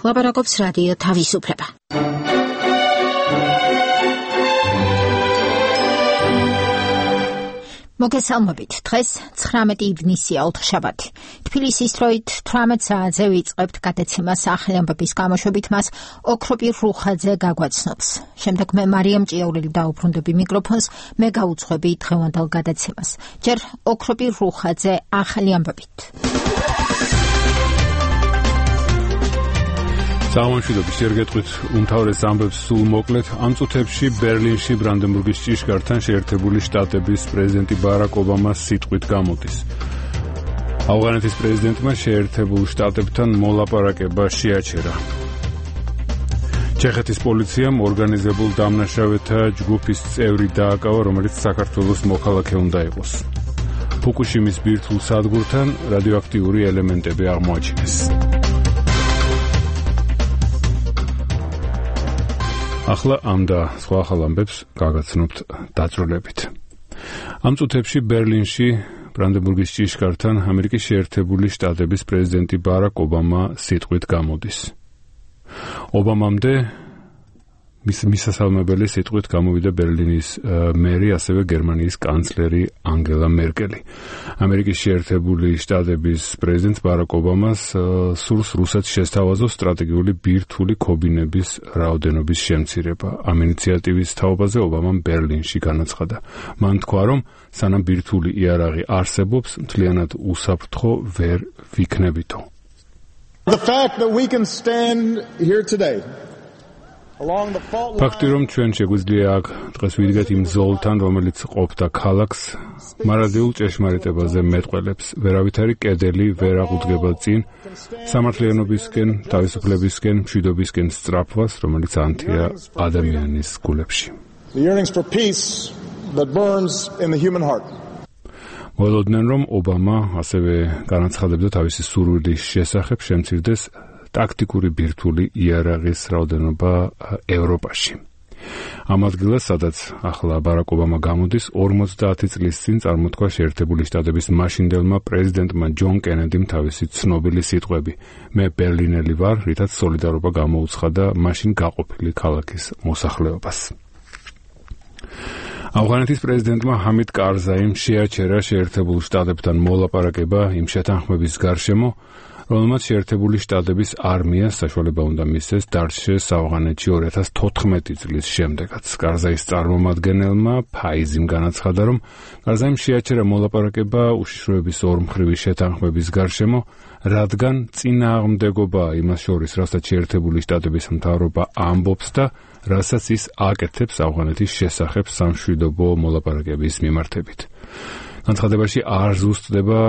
ლაპარაკობს რადიო თავისუფლება. მოგესალმებით. დღეს 19 ივნისია, ოთხშაბათი. თბილისის დროით 18 საათზე ვიწყებთ გადაცემას ახალი ამბების გამოშვებით, მას ოქროპირ რუხაძე გაგვაცნობს. შემდეგ მე მარიამ ჭიაურელი დაუბრუნდები მიკროფონს, მე გაუძღვები დღევანდელ გადაცემას. ჯერ ოქროპირ რუხაძე ახალი ამბებით. სამშვიდობის შეგეთყვით უმთავრეს ამბებს სულ მოკლედ. ამ წუთებში ბერლინში ბრანდენბურგის ჭიშკართან შეერთებული შტატების პრეზიდენტი ბარაკ ობამას სიტყვით გამოდის. ავღანეთის პრეზიდენტმა შეერთებულ შტატებთან მოლაპარაკება შეაჩერა. ჩეხეთის პოლიციამ ორგანიზებულ დამნაშავეთა ჯგუფის წევრი დააკავა, რომელიც საქართველოს მოქალაქე უნდა იყოს. ფუკუშიმის ბირთვულ სადგურთან რადიოაქტიური ელემენტები აღმოაჩინეს. ახლა ამ და სხვა ახალ ამბებს გაგაცნობთ დაწვრილებით. ამ წუთებში ბერლინში ბრანდენბურგის ჭიშკართან ამერიკის შეერთებული შტატების პრეზიდენტი ბარაკ ობამა სიტყვით გამოდის. ობამამდე მისასალმებელი სიტყვით გამოვიდა ბერლინის მერი, ასევე გერმანიის კანცლერი ანგელა მერკელი. ამერიკის შეერთებული შტატების პრეზიდენტ ბარაკ ობამას სურს რუსეთს შესთავაზოს სტრატეგიული ბირთვული ქობინების რაოდენობის შემცირება. ამ ინიციატივის თაობაზე ობამამ ბერლინში განაცხადა. მან თქვა, რომ სანამ ბირთვული იარაღი არსებობს, მთლიანად უსაფრთხო ვერ ვიქნებითო. The fact that we can stand here today ფაქტი, რომ ჩვენ შეგვიძლია აქ დღეს ვიდგეთ იმ ზოლთან, რომელიც ყოფდა ქალაქს, მარადიულ ჭეშმარიტებაზე მეტყველებს. ვერავითარი კედელი ვერ აღუდგება წინ სამართლიანობისკენ, თავისუფლებისკენ, მშვიდობისკენ სწრაფვას, რომელიც ანთია ადამიანის გულებში. მოლოდნენ, რომ ობამა ასევე განაცხადებდა თავისი სურვილის შესახებ შემცირდეს ტაქტიკური ბირთვული იარაღის რაოდენობა ევროპაში. ამ ადგილას, სადაც ახლა ბარაკ ობამა გამოდის, 50 წლის წინ წარმოთქვა შეერთებული შტატების მაშინდელმა პრეზიდენტმა ჯონ კენედიმ თავისი ცნობილი სიტყვები: მე ბერლინელი ვარ, რითაც სოლიდარობა გამოუცხადა მაშინ გაყოფილი ქალაქის მოსახლეობას. ავღანეთის პრეზიდენტმა ჰამიდ კარზაიმ შეაჩერა შეერთებულ შტატებთან მოლაპარაკება იმ შეთანხმების გარშემო, რომელმაც შეერთებული შტატების არმიას საშუალება უნდა მისცეს დარჩეს ავღანეთში 2014 წლის შემდეგაც. კარზაის წარმომადგენელმა ფაიზიმ განაცხადა, რომ კარზაიმ შეაჩერა მოლაპარაკება უშიშროების ორმხრივი შეთანხმების გარშემო, რადგან წინააღმდეგობაა იმას შორის, რასაც შეერთებული შტატების მთავრობა ამბობს და რასაც ის აკეთებს ავღანეთის შესახებ სამშვიდობო მოლაპარაკების მიმართებით. განცხადებაში არ ზუსტდება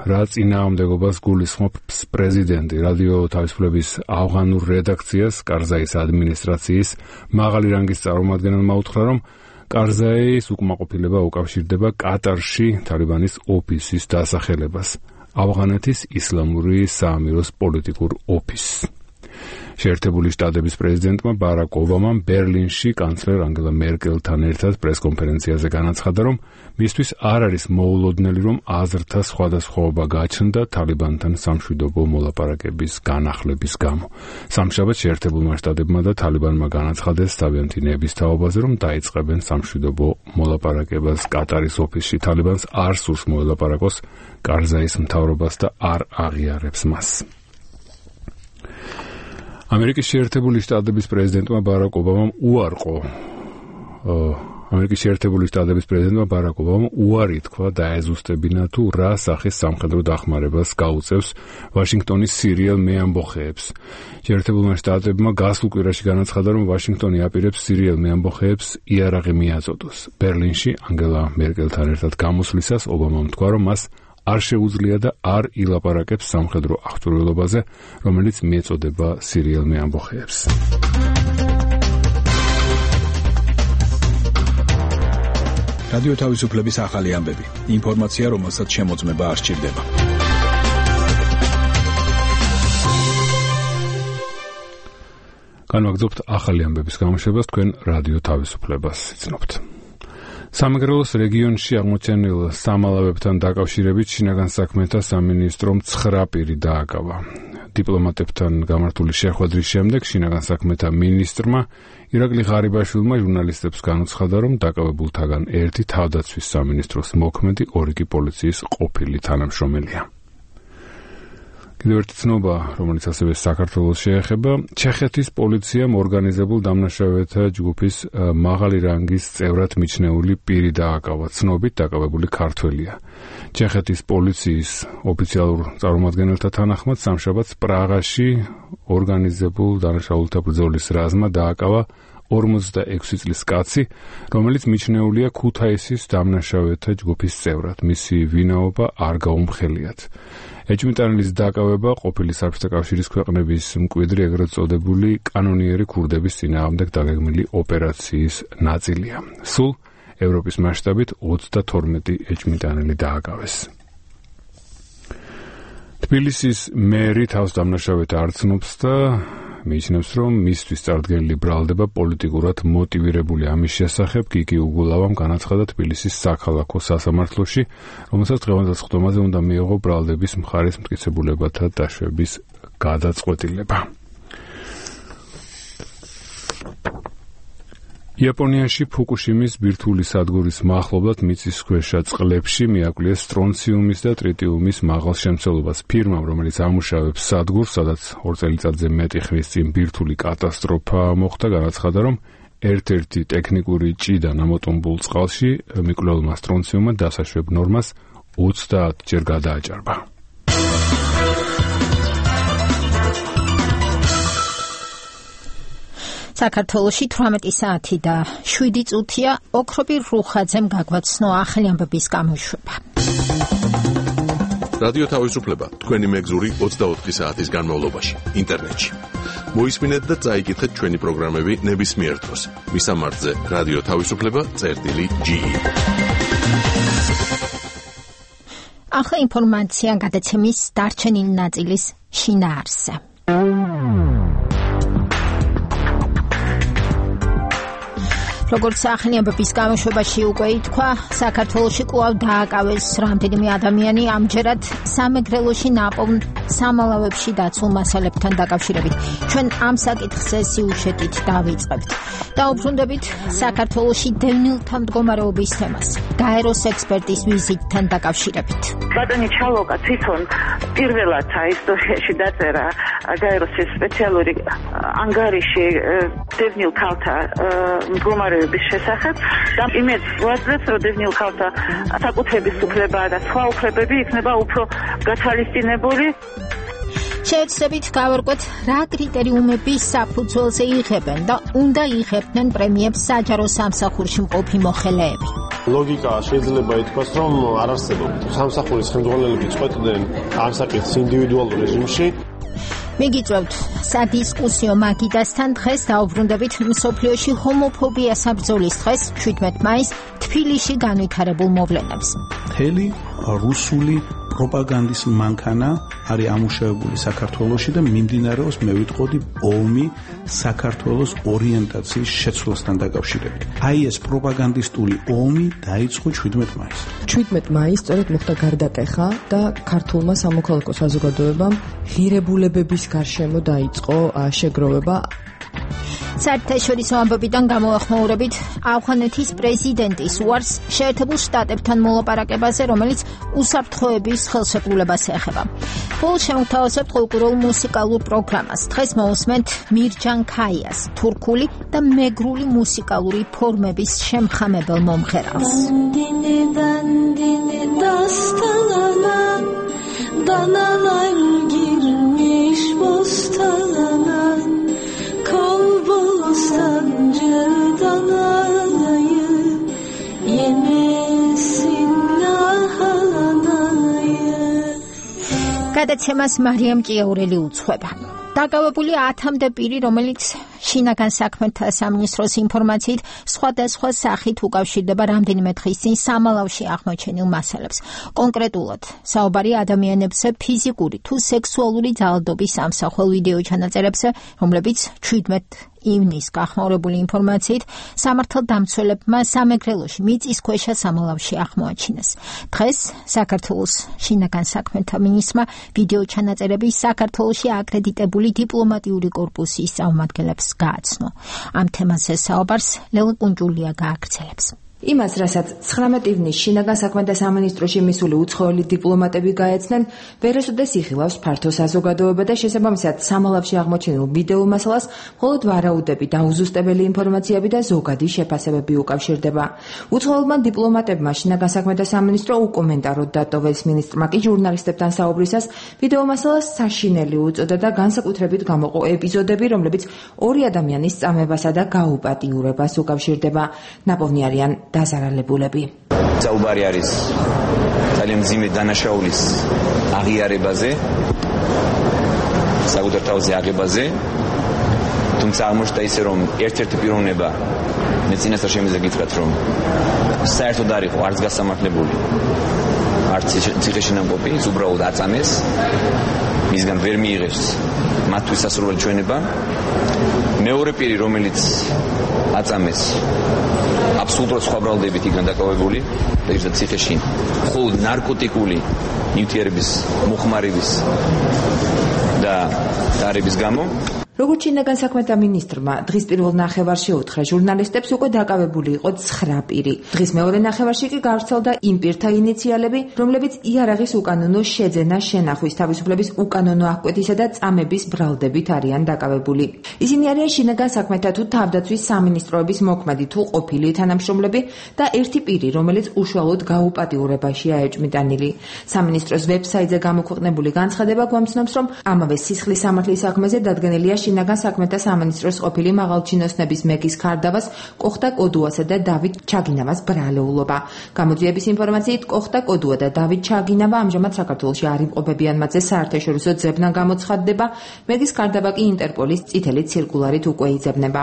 რა წინააღმდეგობას გულისხმობს პრეზიდენტი. რადიო თავისუფლების ავღანურ რედაქციას კარზაის ადმინისტრაციის მაღალი რანგის წარმომადგენელმა უთხრა, რომ კარზაის უკმაყოფილება უკავშირდება კატარში თალიბანის ოფისის დასახელებას, ავღანეთის ისლამური საამიროს პოლიტიკურ ოფისს. შეერთებული შტატების პრეზიდენტმა ბარაკ ობამამ ბერლინში კანცლერ ანგელა მერკელთან ერთად პრესკონფერენციაზე განაცხადა, რომ მისთვის არ არის მოულოდნელი, რომ აზრთა სხვადასხვაობა გაჩნდა თალიბანთან სამშვიდობო მოლაპარაკების განახლების გამო. სამშაბათს შეერთებულმა შტატებმა და თალიბანმა განაცხადეს თავიანთი ნების თაობაზე, რომ დაიწყებენ სამშვიდობო მოლაპარაკებას კატარის ოფისში. თალიბანს არ სურს მოელაპარაკოს კარზაის მთავრობას და არ აღიარებს მას. ამერიკის შეერთებული შტატების პრეზიდენტმა ბარაკ ობამამ უარი თქვა დაეზუსტებინა თუ რა სახის სამხედრო დახმარებას გაუწევს ვაშინგტონის სირიელ მეამბოხეებს. შეერთებულმა შტატებმა გასულ კვირაში განაცხადა, რომ ვაშინგტონი აპირებს სირიელ მეამბოხეებს იარაღი მიაწოდოს. ბერლინში ანგელა მერკელთან ერთად გამოსვლისას ობამამ თქვა, რომ მას არ შეუძლია და არ ილაპარაკებს სამხედრო აღჭურვილობაზე, რომელიც მიეწოდება სირიელ მეამბოხეებს. რადიო თავისუფლების ახალი ამბები. ინფორმაცია, რომელსაც შემოწმება არ სჭირდება. განვაგრძობთ ახალი ამბების გამოშვებას, თქვენ რადიო თავისუფლებას იცნობთ. სამეგრელოს რეგიონში აღმოჩენილ სამალავებთან დაკავშირებით შინაგან საქმეთა სამინისტრომ 9 პირი დააკავა. დიპლომატებთან გამართული შეხვედრის შემდეგ შინაგან საქმეთა მინისტრმა ირაკლი ღარიბაშვილმა ჟურნალისტებს განუცხადა, რომ დაკავებულთაგან ერთი თავდაცვის სამინისტროს მოქმედი, ორი კი პოლიციის ყოფილი თანამშრომელია. კიდევ ერთი ცნობა, რომელიც ასევე საქართველოს შეეხება, ჩეხეთის პოლიციამ ორგანიზებულ დამნაშავეთა ჯგუფის მაღალი რანგის წევრად მიჩნეული პირი დააკავა. ცნობით დაკავებული ქართველია. ჩეხეთის პოლიციის ოფიციალურ წარმომადგენელთა თანახმად სამშაბათს პრაღაში ორგანიზებულ დანაშაულთა ბრძოლის რაზმმა დააკავა 46 წლის კაცი, რომელიც მიჩნეულია ქუთაისის დამნაშავეთა ჯგუფის წევრად. მისი ვინაობა არ გაუმხელიათ. ეჭვმიტანილის დაკავება ყოფილი საბჭოთა კავშირის ქვეყნების მკვიდრი ეგრეთ წოდებული კანონიერი ქურდების წინააღმდეგ დაგეგმილი ოპერაციის ნაწილია. სულ ევროპის მასშტაბით 32 ეჭვმიტანილი დააკავეს. თბილისის მერი თავს დამნაშავეთა არ ცნობს და მიიჩნევს, რომ მისთვის წარდგენილი ბრალდება პოლიტიკურად მოტივირებული. ამის შესახებ გიგი უგულავამ განაცხადა თბილისის საქალაქო სასამართლოში, რომელსაც დღევანდელ სხდომაზე უნდა მიეღო ბრალდების მხარის მტკიცებულებათა დაშვების გადაწყვეტილება. იაპონიაში ფუკუშიმის ბირთვული სადგურის მახლობლად მიწისქვეშა წყლებში მიაკვლიეს სტრონციუმის და ტრიტიუმის მაღალ შემცველობას. ფირმამ, რომელიც ამუშავებს სადგურს, სადაც 2 წელიწადზე მეტი ხნის წინ ბირთვული კატასტროფა მოხდა, განაცხადა, რომ ერთ-ერთი ტექნიკური ჭიდან ამოტომბულ წყალში მიკვლეულმა სტრონციუმმა დასაშვებ ნორმას 30 ჯერ გადააჭარბა. საქართველოში 18 საათი და 7 წუთია ოქროპირ რუხაძემ გაგვაცნო ახალი ამბების გამოშვება. რადიო თავისუფლება თქვენი მეგზური 24 საათის განმავლობაში ინტერნეტში. მოისმინეთ და წაიკითხეთ ჩვენი პროგრამები ნებისმიერ დროს. მისამართზე რადიო თავისუფლება.ge. ახლა ინფორმაცია გადაცემის დარჩენილი ნაწილის შინაარსზე. როგორც ახალი ამბების გამოშვებაში უკვე ითქვა, საქართველოში კვლავ დააკავეს რამდენიმე ადამიანი, ამჯერად სამეგრელოში ნაპოვნ სამალავებში დაცულ მასალებთან დაკავშირებით. ჩვენ ამ საკითხზე სიუჟეტით დავიწყებთ. დაუბრუნდებით საქართველოში დევნილთა მდგომარეობის თემას, გაეროს ექსპერტის ვიზიტთან დაკავშირებით. ბატონი ჩალოკა თვითონ პირველად ისტორიაში დაწერა გაეროს სპეციალური ანგარიში დევნილ ქალთა მდგომარეობის შესახებ და იმედს ვაძლევს, რომ დევნილ ქალთა საკუთრების უფლება და სხვა უფლებები იქნება უფრო გათვალისწინებული. შევეცდებით გავარკვეთ, რა კრიტერიუმები საფუძველზე იღებენ და უნდა იღებდნენ პრემიებს საჯარო სამსახურში მყოფი მოხელეები. ლოგიკა შეიძლება ითქვას, რომ არ არსებობს. სამსახურის ხელმძღვანელები წყვეტდნენ ამ საკითხს ინდივიდუალურ რეჟიმში. მიგიწევთ სადისკუსიო მაგიდასთან. დღეს დაუბრუნდებით მსოფლიოში ჰომოფობიას საბრძოლის დღეს 17 მაისს თბილისში განვითარებულ მოვლენებს. მთელი რუსული პროპაგანდის მანქანა არის ამუშავებული საქართველოში და მიმდინარეობს, მე ვიტყოდი, ომი საქართველოს ორიენტაციის შეცვლასთან დაკავშირებით. აი ეს პროპაგანდისტული ომი დაიწყო 17 მაისს. 17 მაისს სწორედ მოხდა გარდატეხა და ქართულმა სამოქალაქო საზოგადოებამ ღირებულებების გარშემო დაიწყო შეგროვება. საერთაშორისო ამბებიდან გამოახმაურებით ავღანეთის პრეზიდენტის უარს შეერთებულ შტატებთან მოლაპარაკებაზე, რომელიც უსაფრთხოების ხელშეკრულებას ეხება. ბოლოს შემოგთავაზებთ ყურულ მუსიკალურ პროგრამას. დღეს მოусმენთ მირჯან ქაიას, თურქული და მეგრული მუსიკალური ფორმების შემხამებელ მომღერალს. გადაცემას მარიამ ჭიაურელი უძღვება. დაკავებული 10-მდე პირი, რომელიც შინაგან საქმეთა სამინისტროს ინფორმაციით სხვადასხვა სახით უკავშირდება რამდენიმე დღის წინ სამალავში აღმოჩენილ მასალებს. კონკრეტულად, საუბარი ადამიანებზე ფიზიკური თუ სექსუალური ძალადობის ამსახველ ვიდეო ჩანაწერებზე, რომლებიც 17 ივნის გახმაურებული ინფორმაციით სამართალდამცველებმა სამეგრელოში მიწისქვეშა სამალავში აღმოაჩინეს. დღეს საქართველოს შინაგან საქმეთა მინისტრმა ვიდეო ჩანაწერები საქართველოში აკრედიტებული დიპლომატიური კორპუსის წარმომადგენლებს გააცნო. ამ თემაზე საუბარს ლელა კუნჯულია გააგრძელებს. იმას, რასაც 19 ივნის შინაგან საქმეთა სამინისტროში მისული უცხოელი დიპლომატები გაეცნენ, ვერასოდეს იხილავს ფართო საზოგადოება და შესაბამისად სამალავში აღმოჩენილ ვიდეო მასალას მხოლოდ ვარაუდები, დაუზუსტებელი ინფორმაციები და ზოგადი შეფასებები უკავშირდება. უცხოელმა დიპლომატებმა შინაგან საქმეთა სამინისტრო უკომენტაროდ დატოვეს, მინისტრმა კი ჟურნალისტებთან საუბრისას ვიდეო მასალას საშინელი უწოდა და განსაკუთრებით გამოყო ეპიზოდები, რომლებიც ორი ადამიანის წამებასა და გაუპატიურებას უკავშირდება. ნაპოვნი არიან დაზარალებულები. საუბარი არის ძალიან მძიმე დანაშაულის აღიარებაზე, საკუთარ თავზე აღებაზე, თუმცა აღმოჩნდა ისე, რომ ერთ-ერთი პიროვნება მე წინასწარ შემიძლია გითხრათ, რომ საერთოდ არ იყო არც გასამართლებული, არც ციხეშინამყოფი, უბრალოდ აწამეს, მისგან ვერ მიიღეს მათთვის სასურველი ჩვენება. მეორე პირი, რომელიც აწამეს, აბსოლუტურად სხვა ბრალდებით იქნა დაკავებული და ციხეში მხოლოდ ნარკოტიკული ნივთიერების მოხმარების და დარების გამო. როგორც შინაგან საქმეთა მინისტრმა დღის პირველ ნახევარში უთხრა ჟურნალისტებს, უკვე დაკავებული იყო 9 პირი. დღის მეორე ნახევარში კი გავრცელდა იმ პირთა ინიციალები, რომლებიც იარაღის უკანონო შეძენა, შენახვის თავისუფლების უკანონო აღკვეთისა და წამების ბრალდებით არიან დაკავებული. ისინი არიან შინაგან საქმეთა თუ თავდაცვის სამინისტროების მოქმედი თუ ყოფილი თანამშრომლები და ერთი პირი, რომელიც უშუალოდ გაუპატიურებაშია ეჭვმიტანილი. სამინისტროს ვებსაიტზე გამოქვეყნებული განცხადება გვამცნობს, რომ ამავე სისხლის სამართლის საქმეზე დადგენილია შინაგან საქმეთა სამინისტროს ყოფილი მაღალჩინოსნების მეგის ქარდავას, კოხტა კოდუასა და დავით ჩაგინავას ბრალეულობა. გამოძიების ინფორმაციით, კოხტა კოდუა და დავით ჩაგინავა ამჟამად საქართველოში არ იმყოფებიან, მათზე საერთაშორისო ძებნა გამოცხადდება. მეგის ქარდავა კი ინტერპოლის წითელი ცირკულარით უკვე იძებნება.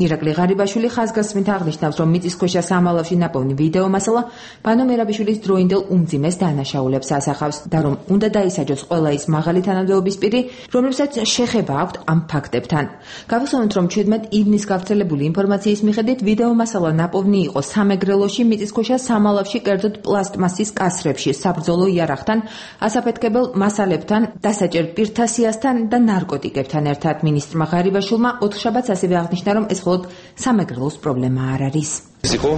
ირაკლი ღარიბაშვილი ხაზგასმით აღნიშნავს, რომ მიწისქვეშა სამალავში ნაპოვნი ვიდეო მასალა ბანო მერაბიშვილის დროინდელ უმძიმეს დანაშაულებს ასახავს და რომ უნდა დაისაჯოს ყველა ის მაღალი თანამდებობის პირი, რომლებსაც შეხება აქვთ ამ ფაქტებთან. გავიხსენოთ, რომ 17 ივნის გავრცელებული ინფორმაციის მიხედვით ვიდეო მასალა ნაპოვნი იყო სამეგრელოში, მიწისქვეშა სამალავში, კერძოდ პლასტმასის კასრებში, საბრძოლო იარაღთან, ასაფეთქებელ მასალებთან, დასაჭერ პირთა სიასთან და ნარკოტიკებთან ერთად. მინისტრმა ღარიბაშვილმა ოთხშაბათს ასევე აღნიშნა, რომ ეს მხოლოდ სამეგრელოს პრობლემა არ არის. ეს იყო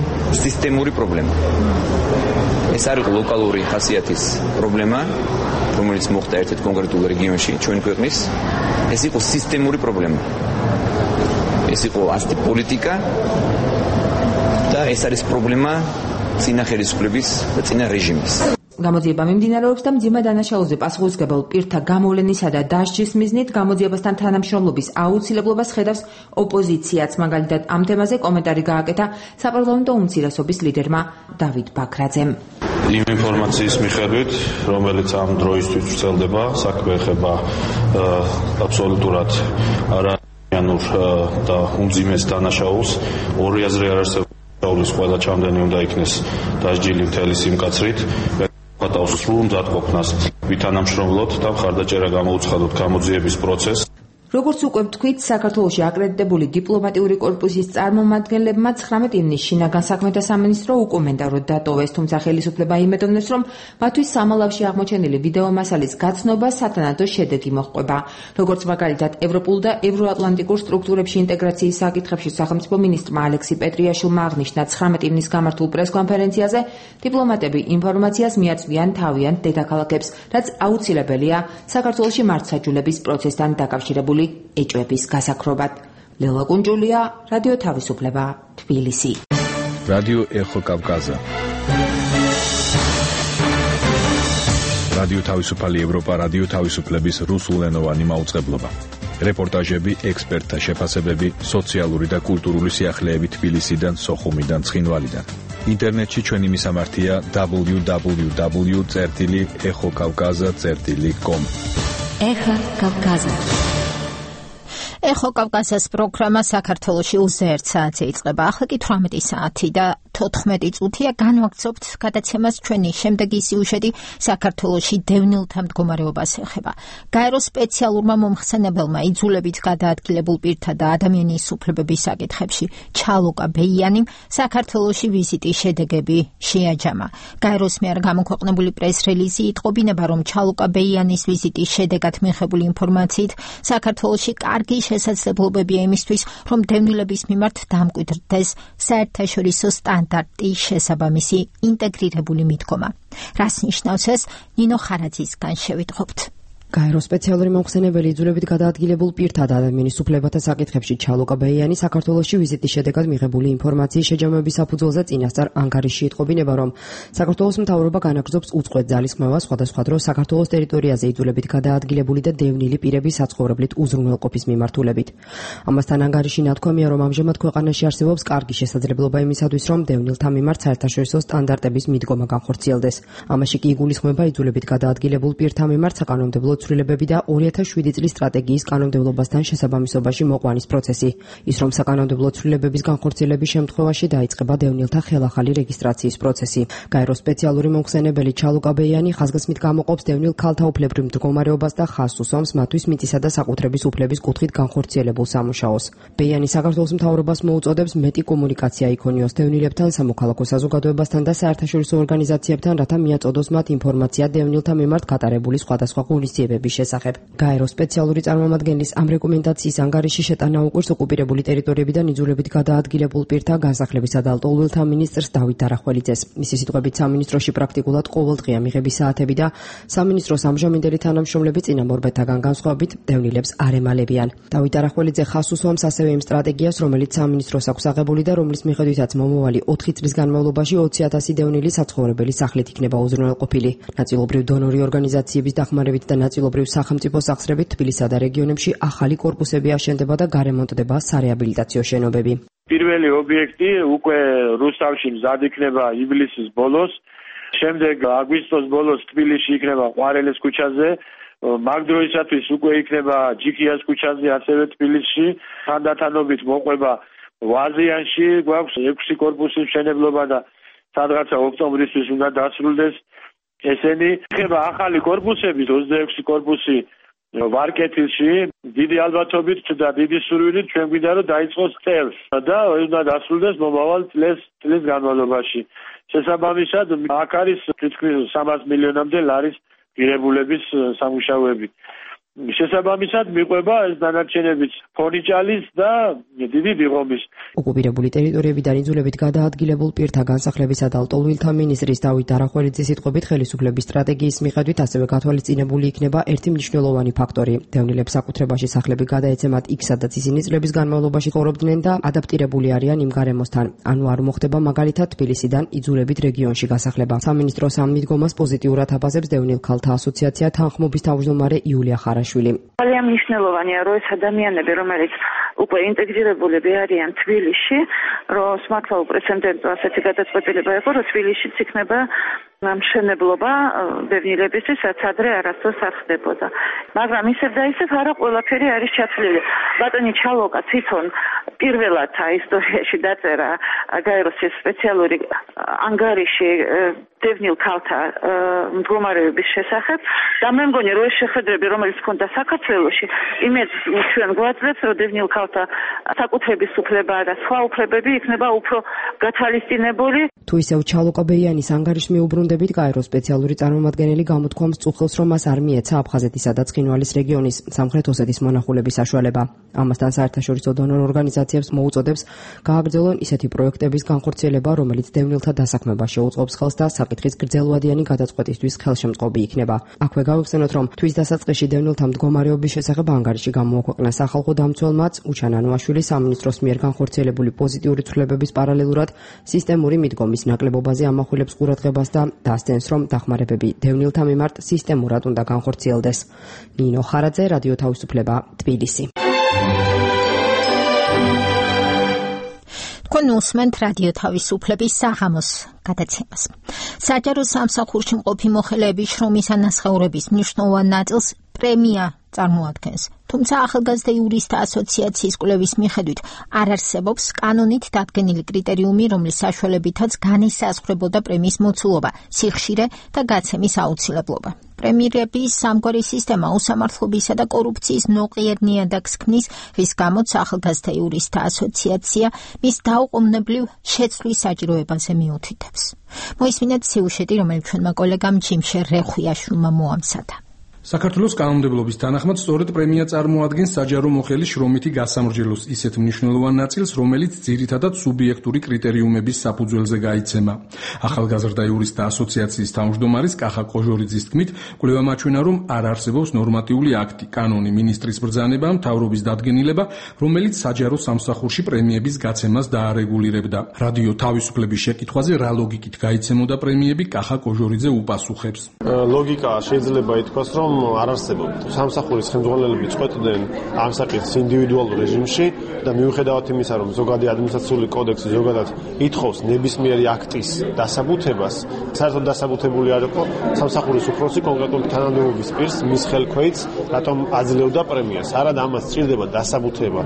სისტემური პრობლემა. ეს არ იყო ლოკალური ხასიათის პრობლემა, რომელიც მოხდა ერთ-ერთ კონკრეტულ რეგიონში ჩვენი ქვეყნის. ეს იყო სისტემური პრობლემა. ეს იყო ასეთი პოლიტიკა და ეს არის პრობლემა წინა ხელისუფლების და წინა რეჟიმის. გამოძიება მიმდინარეობს და მძიმე დანაშაულზე პასუხისმგებელ პირთა გამოვლენისა და დასჯის მიზნით გამოძიებასთან თანამშრომლობის აუცილებლობას ხედავს ოპოზიციაც. მაგალითად, ამ თემაზე კომენტარი გააკეთა საპარლამენტო უმცირესობის ლიდერმა დავით ბაქრაძემ. იმ ინფორმაციის მიხედვით, რომელიც ამ დროისთვის ვრცელდება, საქმე ეხება აბსოლუტურად არაიანურ და უმძიმეს დანაშაულს. ორი აზრი არ არსებობს. დაულის ყველა ჩამდენი უნდა იქნეს დასჯილი მთელი სიმკაცრით. ფატავს სრულ მზადყოფნას ვითანამშრომლოთ და მხარდაჭერა გამოუცხადოთ გამოძიების პროცესს. როგორც უკვე ვთქვით, საქართველოში აკრედიტებული დიპლომატიური კორპუსის წარმომადგენლებმა 19 ივნის შინაგან საქმეთა სამინისტრო უკომენტაროდ დატოვეს, თუმცა ხელისუფლება იმედოვნებს, რომ მათთვის სამალავში აღმოჩენილი ვიდეო მასალის გაცნობა სათანადო შედეგი მოჰყვება. როგორც მაგალითად, ევროპულ და ევროატლანტიკურ სტრუქტურებში ინტეგრაციის საკითხებში სახელმწიფო მინისტრმა ალექსი პეტრიაშვილმა აღნიშნა 19 ივნის გამართულ პრესკონფერენციაზე, დიპლომატები ინფორმაციას მიაწვიან თავიანთ დედაქალაქებს, რაც აუცილებელია საქართველოში მართლმსაჯულების პროცესთან დაკავშირებული ეჭვების გასაქრობად. ლელა კუნჯულია, რადიო თავისუფლება, თბილისი. რადიო ეხო კავკაზა. რადიო თავისუფალი ევროპა, რადიო თავისუფლების რუსულენოვანი მაუწყებლობა. რეპორტაჟები, ექსპერტთა შეფასებები, სოციალური და კულტურული სიახლეები თბილისიდან, სოხუმიდან, ცხინვალიდან. ინტერნეტში ჩვენი მისამართია www.exokavkaza.com. ეხა კავკაზა. ეხო კავკაზას პროგრამა საქართველოში უზეირთ საათზე იწყება. ახლა კი 18 საათი და 14 წუთია განვაგრძობთ გადაცემას ჩვენი შემდეგი სიუჟეტი საქართველოში დევნილთა მდგომარეობას ეხება. გაეროს სპეციალურმა მომხსენებელმა იძულებით გადაადგილებულ პირთა და ადამიანის უფლებების საკითხებში ჩალოკა ბეიანიმ საქართველოში ვიზიტის შედეგები შეაჯამა. გაეროს მიერ გამოქვეყნებული პრეს-რელიზი იტყობინება, რომ ჩალოკა ბეიანის ვიზიტის შედეგად მიღებული ინფორმაციით საქართველოში კარგი შესაძლებლობებია იმისთვის, რომ დევნილების მიმართ დამკვიდრდეს საერთაშორისო სტანდარტის შესაბამისი ინტეგრირებული მიდგომა. რას ნიშნავს ეს? ნინო ხარაძისგან შევიტყობთ. გაეროს სპეციალური მომხსენებელი იძულებით გადაადგილებულ პირთა და ადამიანის უფლებათა საკითხებში ჩალოკა ბეიანი საქართველოში ვიზიტის შედეგად მიღებული ინფორმაციის შეჯამების საფუძველზე წინასწარ ანგარიშში იტყობინება, რომ საქართველოს მთავრობა განაგრძობს უწყვეტ ძალისხმევას სხვადასხვა დროს საქართველოს ტერიტორიაზე იძულებით გადაადგილებული და დევნილი პირების საცხოვრებლით უზრუნველყოფის მიმართულებით. ამასთან ანგარიში ნათქვამია, რომ ამჟამად ქვეყანაში არსებობს კარგი შესაძლებლობა იმისათვის, რომ დევნილთა მიმართ საერთაშორისო სტანდარტების მიდგომა განხორციელდეს. ამაში კი იგულისხმება იძულებით გადაადგილებულ პირთა მიმართ საკანონმდებლო ცვლილებები და 2007 წლის სტრატეგიის კანონმდებლობასთან შესაბამისობაში მოყვანის პროცესი. ის რომ საკანონმდებლო ცვლილებების განხორციელების შემთხვევაში დაიწყება დევნილთა ხელახალი რეგისტრაციის პროცესი. გაეროს სპეციალური მომხსენებელი ჩალოკა ბეიანი ხაზგასმით გამოყოფს დევნილ ქალთა უფლებრივ მდგომარეობას და ხაზს უსვამს მათთვის მიწისა და საკუთრების უფლების კუთხით განხორციელებულ სამუშაოს. ბეიანი საქართველოს მთავრობას მოუწოდებს მეტი კომუნიკაცია იქონიოს დევნილებთან, სამოქალაქო საზოგადოებასთან და საერთაშორისო ორგანიზაციებთან, რათა მიაწოდოს მათ ინფორმაცია დევნილთა მიმართ გატარებული სხვადასხვა ღონისძიებების შესახებ. გაეროს სპეციალური წარმომადგენლის ამ რეკომენდაციის ანგარიში შეტანა უყვირს ოკუპირებული ტერიტორიებიდან იძულებით გადაადგილებულ პირთა განსახლებისა და ლტოლვილთა მინისტრს დავით არახველიძეს. მისი სიტყვებით სამინისტროში პრაქტიკულად ყოველდღია მიღების საათები და სამინისტროს ამჟამინდელი თანამშრომლები წინამორბედთაგან განსხვავებით დევნილებს არ ემალებიან. დავით არახველიძე ხაზს უსვამს ასევე იმ სტრატეგიას, რომელიც სამინისტროს აქვს აღებული და რომლის მიხედვითაც მომავალი 4 წლის განმავლობაში 20,000 დევნილი საცხოვრებელი სახლით იქნება უზრუნველყოფილი. ნაწილობრივ დონორი ორგანიზაციების დახმარებით და ნაწილობრივ სახელმწიფო სახსრებით თბილისსა და რეგიონებში ახალი კორპუსები აშენდება და გარემონტდება სარეაბილიტაციო შენობები. პირველი ობიექტი უკვე რუსთავში მზად იქნება ივლისის ბოლოს, შემდეგ აგვისტოს ბოლოს თბილისში იქნება ყვარელის ქუჩაზე, მაგ დროისათვის უკვე იქნება ჯიქიას ქუჩაზე, ასევე თბილისში, თანდათანობით მოყვება ვაზიანში, გვაქვს 6 კორპუსის მშენებლობა და სადღაცა ოქტომბრისთვის უნდა დასრულდეს. ესენი იქნება ახალი კორპუსები, 26 კორპუსი ვარკეთილში, დიდი ალბათობით და დიდი სურვილით ჩვენ გვინდა რომ დაიწყოს წელს და უნდა დასრულდეს მომავალ წლის განმავლობაში. შესაბამისად, აქ არის თითქმის 300 მილიონამდე ლარის ღირებულების სამუშაოები. შესაბამისად მიყვება ეს დანარჩენებიც ფონიჭალის და დიდი დიღომის. ოკუპირებული ტერიტორიებიდან იძულებით გადაადგილებულ პირთა განსახლებისა და ლტოლვილთა მინისტრის დავით არახველიძის სიტყვებით ხელისუფლების სტრატეგიის მიხედვით ასევე გათვალისწინებული იქნება ერთი მნიშვნელოვანი ფაქტორი. დევნილებს საკუთრებაში სახლები გადაეცემათ იქ, სადაც ისინი წლების განმავლობაში ცხოვრობდნენ და ადაპტირებული არიან იმ გარემოსთან. ანუ არ მოხდება მაგალითად თბილისიდან იძულებით რეგიონში გასახლება. სამინისტროს ამ მიდგომას პოზიტიურად აფასებს დევნილ ქალთა ასოციაცია თანხმობის თავმჯდომარე იულია ხარაშვილი. ძალიან მნიშვნელოვანია, რომ ეს ადამიანები, რომელიც უკვე ინტეგრირებულები არიან თბილისში, რომ მართლა უპრეცედენტო ასეთი გადაწყვეტილება იყო, რომ თბილისშიც იქნება მშენებლობა დევნილებისთვის, რაც ადრე არასდროს არ ხდებოდა. მაგრამ ისევ და ისევ არა ყველაფერი არის ჩათვლილი. ბატონი ჩალოკა თვითონ პირველად ისტორიაში დაწერა გაეროს სპეციალური ანგარიში დევნილ ქალთა მდგომარეობის შესახებ და მე მგონი რომ ეს შეხედრები, რომელიც ჰქონდა საქართველოში, იმედს ჩვენ გვაძლევს, რომ დევნილ ქალთა საკუთრების უფლება და სხვა უფლებები იქნება უფრო გათვალისწინებული. თუ ისევ ჩალოკა ბეიანის ანგარიშს მიუბრუნდებით, გაეროს სპეციალური წარმომადგენელი გამოთქვამს წუხელს, რომ მას არ მიეცა აფხაზეთისა და ცხინვალის რეგიონის სამხრეთ ოსეთის მონახულების საშუალება. ამასთან საერთაშორისო დონორ ორგანიზაციებს მოუწოდებს გააგრძელონ ისეთი პროექტების განხორციელება, რომელიც დევნილთა დასაქმებას შეუწყობს ხელს და საკითხის გრძელვადიანი გადაწყვეტისთვის ხელშემწყობი იქნება. აქვე გავიხსენოთ, რომ თვის დასაწყისში დევნილთა მდგომარეობის შესახებ ანგარიში გამოაქვეყნა სახალხო დამცველმაც უჩან ანუაშვილი სამინისტროს მიერ განხორციელებული პოზიტიური ცვლილებების პარალელურად სისტემური მიდგომის ნაკლებობაზე ამახვილებს ყურადღებას და დასცენს, რომ დახმარებები დევნილთა მიმართ სისტემურად უნდა განხორციელდეს. ნინო ხარაძე, რადიო თავისუფლება, თბილისი. თქვენ უსმენთ რადიო თავისუფლების საღამოს გადაცემას. საჯარო სამსახურში მყოფი მოხელეების შრომის ანასხევრების მნიშვნელოვან ნაწილს პრემია წარმოადგენს. თუმცა ახალგაზრდა იურისტთა ასოციაციის კვლევის მიხედვით არ არსებობს კანონით დადგენილი კრიტერიუმი, რომლის საშუალებითაც განისაზღვრებოდა პრემიის მოცულობა, სიხშირე და გაცემის აუცილებლობა. პრემიერების სამგვარი სისტემა უსამართლობისა და კორუფციის ნოყიერ ნიადაგს ქმნის, რის გამოც ახალგაზრდა იურისტთა ასოციაცია მის დაუყოვნებლივ შეცვლის საჭიროებაზე მიუთითებს. მოისმინეთ სიუჟეტი, რომელიც ჩვენმა კოლეგამ ჯიმშე რეხვიაშვილმა მოამზადა. საქართველოს კანონმდებლობის თანახმად სწორედ პრემია წარმოადგენს საჯარო მოხელის შრომითი გასამრჯელოს ისეთ მნიშვნელოვან ნაწილს, რომელიც ძირითადად სუბიექტური კრიტერიუმების საფუძველზე გაიცემა. ახალგაზრდა იურისტთა ასოციაციის თავმჯდომარის კახა კოჟორიძის თქმით, კვლევა მაჩვენა, რომ არ არსებობს ნორმატიული აქტი, კანონი, მინისტრის ბრძანება, მთავრობის დადგენილება, რომელიც საჯარო სამსახურში პრემიების გაცემას დაარეგულირებდა. რადიო თავისუფლების შეკითხვაზე რა ლოგიკით გაიცემოდა პრემიები, კახა კოჟორიძე უპასუხებს. ლოგიკა შეიძლება ითქვას, რომ არ არსებობს. სამსახურის ხელმძღვანელები წყვეტდნენ ამ საკითხს ინდივიდუალურ რეჟიმში და მიუხედავად იმისა, რომ ზოგადი ადმინისტრაციული კოდექსი ზოგადად ითხოვს ნებისმიერი აქტის დასაბუთებას, საერთოდ დასაბუთებული არ იყო სამსახურის უფროსი კონკრეტული თანამდებობის პირს მის ხელქვეითს, რატომ აძლევდა პრემიას. არადა ამას სჭირდება დასაბუთება.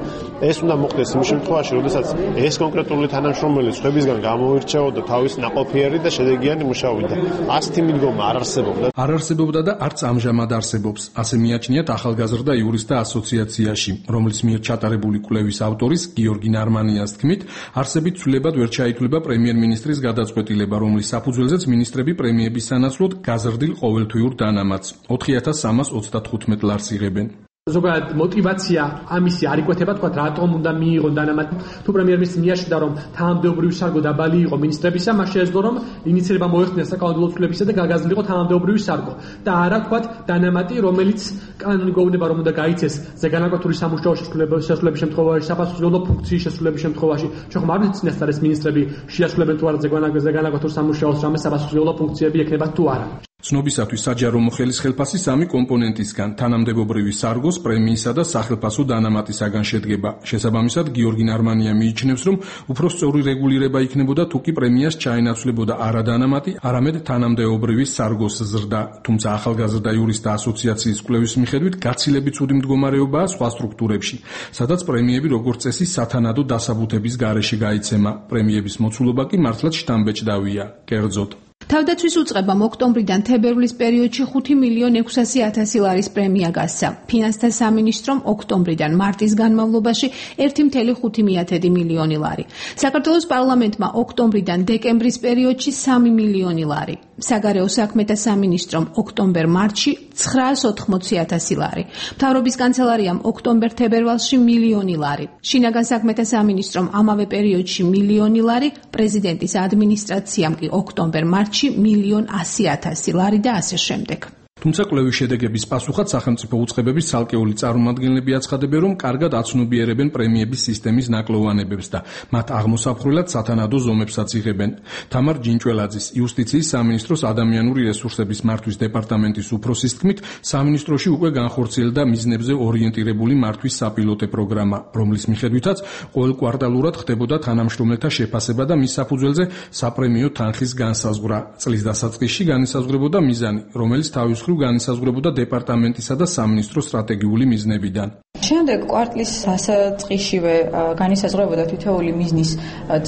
ეს უნდა მოხდეს იმ შემთხვევაში, როდესაც ეს კონკრეტული თანამშრომელი სხვებისგან გამოირჩეოდა თავის ნაყოფიერი და შედეგიანი მუშაობით. ასეთი მიდგომა არ არსებობდა. არ არსებობდა და არც ამჟამად არსებობს, ასე მიაჩნიათ ახალგაზრდა იურისტთა ასოციაციაში, რომლის მიერ ჩატარებული კვლევის ავტორის გიორგი ნარმანიას თქმით, არსებით ცვლილებად ვერ ჩაითვლება პრემიერ-მინისტრის გადაწყვეტილება, რომლის საფუძველზეც მინისტრები პრემიების სანაცვლოდ გაზრდილ ყოველთვიურ დანამატს 4325 ლარს იღებენ. ზოგადად мотиваცია ამისი არ იკვეთება, თქვა რატომ უნდა მიიღონ დანამატი. თუ პრემიერ-მინისტრი მიაჩნდა, რომ თანამდებობრივი სარგო დაბალი იყო მინისტრებისა, მას შეეძლო, რომ ინიციირება მოეხდინა საკანონმდებლო ცვლილებისა და გაგაზრდილიყო თანამდებობრივი სარგო. და არა თქვა დანამატი, რომელიც კანონი გვეუბნება, რომ უნდა გაიცეს ზეგანაკვეთური სამუშაო შესრულების შემთხვევაში, საფასურულო ფუნქციის შესრულების შემთხვევაში. შეხომ არ ვიცით წინასწარ ეს მინისტრები შეასრულებენ თუ არა ზეგანაკვეთურ სამუშაოს რამე საფასურულო ფუნქციები ექნება თუ არა. ცნობისათვის საჯარო მოხელის ხელფასი სამი კომპონენტისგან, თანამდებობრივი სარგოს, პრემიისა და სახელფასო დანამატისაგან შედგება. შესაბამისად, გიორგი ნარმანია მიიჩნევს, რომ უფრო სწორი რეგულირება იქნებოდა თუ კი პრემიას ჩაენაცვლებოდა არა დანამატი, არამედ თანამდებობრივი სარგოს ზრდა. თუმცა ახალგაზრდა იურისტთა ასოციაციის კვლევის მიხედვით გაცილებით ცუდი მდგომარეობაა სხვა სტრუქტურებში, სადაც პრემიები როგორც წესი სათანადო დასაბუთების გარეშე გაიცემა. პრემიების მოცულობა კი მართლაც შთამბეჭდავია. კერძოდ თავდაცვის უწყებამ ოქტომბრიდან თებერვლის პერიოდში 5.600.000 ლარის პრემია გასცა. ფინანსთა სამინისტრომ ოქტომბრიდან მარტის განმავლობაში 1.5 მილიონი ლარი. საქართველოს პარლამენტმა ოქტომბრიდან დეკემბრის პერიოდში 3 მილიონი ლარი. საგარეო საქმეთა სამინისტრომ ოქტომბერ-მარტში 980.000 ლარი. მთავრობის კანცელარიამ ოქტომბერ-თებერვალში მილიონი ლარი. შინაგან საქმეთა სამინისტრომ ამავე პერიოდში მილიონი ლარი, პრეზიდენტის ადმინისტრაციამ კი ოქტომბერ-მარტში 1.100.000 ლარი და ასე შემდეგ. თუმცა კვლევის შედეგების პასუხად სახელმწიფო უწყებების ცალკეული წარმომადგენლები აცხადებენ, რომ კარგად აცნობიერებენ პრემიების სისტემის ნაკლოვანებებს და მათ აღმოსაფხრელად სათანადო ზომებსაც იღებენ. თამარ ჯინჭველაძის იუსტიციის სამინისტროს ადამიანური რესურსების მართვის დეპარტამენტის უფროსის თქმით, სამინისტროში უკვე განხორციელდა მიზნებზე ორიენტირებული მართვის საპილოტე პროგრამა, რომლის მიხედვითაც ყოველ კვარტალურად ხდებოდა თანამშრომელთა შეფასება და მის საფუძველზე საპრემიო თანხის განსაზღვრა. წლის დასაწყისში განისაზღვრებოდა მიზანი, რომელიც თავის განისაზღვრებოდა დეპარტამენტისა და სამინისტროს სტრატეგიული მიზნებიდან. შემდეგ კვარტლის დასაწყისშივე განისაზღვრებოდა თითოეული მიზნის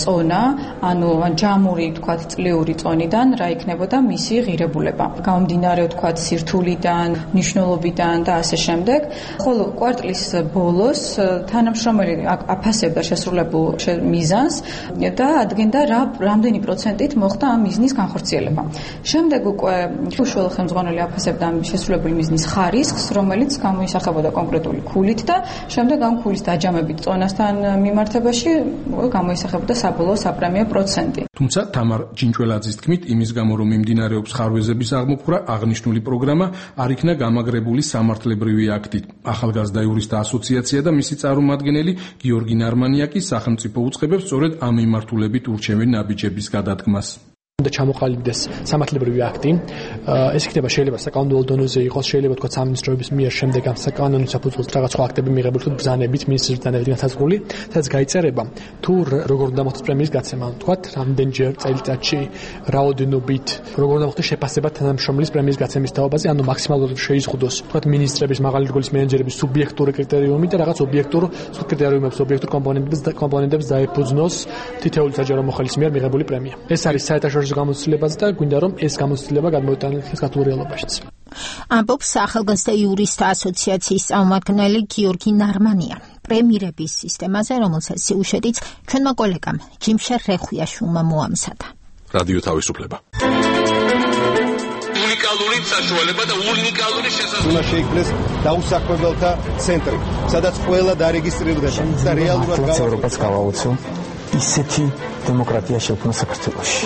წონა, ანუ ჯამური, თქვათ, წლიური წონიდან რა იქნებოდა მისი ღირებულება. გამომდინარე, თქვათ, სირთულიდან, მნიშვნელობიდან და ასე შემდეგ. ხოლო კვარტლის ბოლოს თანამშრომელი აფასებდა შესრულებულ მიზანს და ადგენდა რამდენი პროცენტით მოხდა ამ მიზნის განხორციელება. შემდეგ უკვე უშუალო ხელმძღვანელი აფასებდა ამ შესრულებული მიზნის ხარისხს, რომელიც გამოისახებოდა კონკრეტული ქულით და შემდეგ ამ ქულის დაჯამებით წონასთან მიმართებაში გამოისახებოდა საბოლოო საპრემიო პროცენტი. თუმცა თამარ ჯინჭველაძის თქმით, იმის გამო რომ მიმდინარეობს ხარვეზების აღმოფხვრა, აღნიშნული პროგრამა არ იქნა გამაგრებული სამართლებრივი აქტით. ახალგაზრდა იურისტთა ასოციაცია და მისი წარმომადგენელი გიორგი ნარმანია კი სახელმწიფო უწყებებს სწორედ ამ მიმართულებით ურჩევენ ნაბიჯების გადადგმას. უნდა ჩამოყალიბდეს სამართლებრივი აქტი. ეს იქნება შეიძლება საკანონმდებლო დონეზე იყოს, შეიძლება თქვა სამინისტროების მიერ შემდეგ ამ საკანონო საფუძველზე რაღაც სხვა აქტები მიღებული თუ ბრძანებით, მინისტრის ბრძანებით განსაზღვრული, სადაც გაიწერება თუ როგორ უნდა მოხდეს პრემიის გაცემა, თქვა რამდენჯერ წელიწადში, რაოდენობით, როგორ უნდა მოხდეს შეფასება თანამშრომლის პრემიის გაცემის თაობაზე, ანუ მაქსიმალურად შეიზღუდოს, თქვა მინისტრების, მაღალი რგოლის მენეჯერების სუბიექტური კრიტერიუმი და რაღაც ობიექტურ კრიტერიუმებს, ობიექტურ კომპონენტებს დაეფუძნოს თითოეული საჯარო მოხელის მიერ მიღებული პრემია. ეს არის საერთაშორისო გამოცდილებაც და გვინდა რომ ეს გამოცდილება გადმოიტანილდეს ქართულ რეალობაშიც. ამბობს სახელგანწმენდა იურისტთა ასოციაციის წარმომადგენელი გიორგი ნარმანია. პრემირების სისტემაზე, რომელსაც სიუჟეტიც ჩვენმა კოლეგამ ჯიმშერ რეხვიაშვილმა მოამზადა. რადიო თავისუფლება. უნიკალური საშუალება და უნიკალური შესაძლებლობა. უნდა შეიქმნეს დაუსაქმებელთა ცენტრი, სადაც ყველა დარეგისტრირდება და რეალურად ევროპას გავაოცო ისეთი დემოკრატია შექმნა საქართველოში.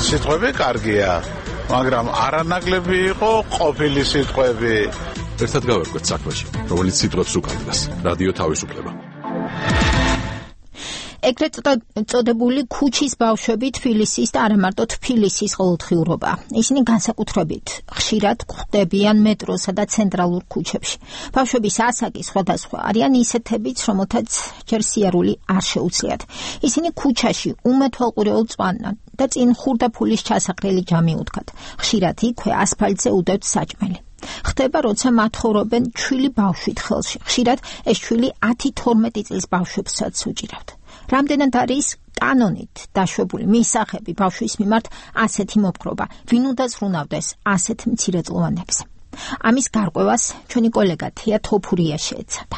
სიტყვები კარგია, მაგრამ არანაკლები იყო ყოფილი სიტყვები. ერთად გავერკვეთ საქმეში, რომელიც სიტყვებს უკავშირდება. რადიო თავისუფლება. ეგრეთ წოდებული ქუჩის ბავშვები თბილისის და არა მარტო თბილისის ყოველდღიურობა. ისინი განსაკუთრებით ხშირად გვხვდებიან მეტროსა და ცენტრალურ ქუჩებში. ბავშვების ასაკი სხვადასხვა არიან ისეთებიც, რომელთაც ჯერ სიარული არ შეუძლიათ. ისინი ქუჩაში უმეთვალყურეულ წვანან და წინ ხურდაფულის ჩასაყრელი ჯამი უდგათ. ხშირად იქვე ასფალტზე უდევთ საჭმელი. ხდება, როცა მათხოვრობენ ჩვილი ბავშვით ხელში. ხშირად ეს ჩვილი 10-12 წლის ბავშვებსაც უჭირავთ. რამდენად არის კანონით დაშვებული მისაღები ბავშვის მიმართ ასეთი მოპყრობა, ვინ უნდა ზრუნავდეს ასეთ მცირეწლოვანებზე. ამის გარკვევას ჩვენი კოლეგა თია თოფურია შეეცადა.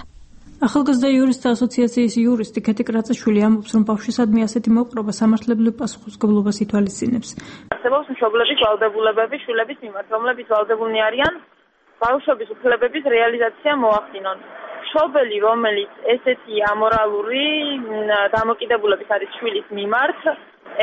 ახალგაზრდა იურისტთა ასოციაციის იურისტი ქეთი კრაწერშვილი ამბობს, რომ ბავშვისადმი ასეთი მოპყრობა სამართლებრივ პასუხისმგებლობას ითვალისწინებს. არსებობს მშობლების ვალდებულებები შვილების მიმართ, რომლებიც ვალდებულნი არიან ბავშვების უფლებების რეალიზაცია მოახდინონ. მშობელი, რომელიც ესეთი ამორალური დამოკიდებულების არის შვილის მიმართ,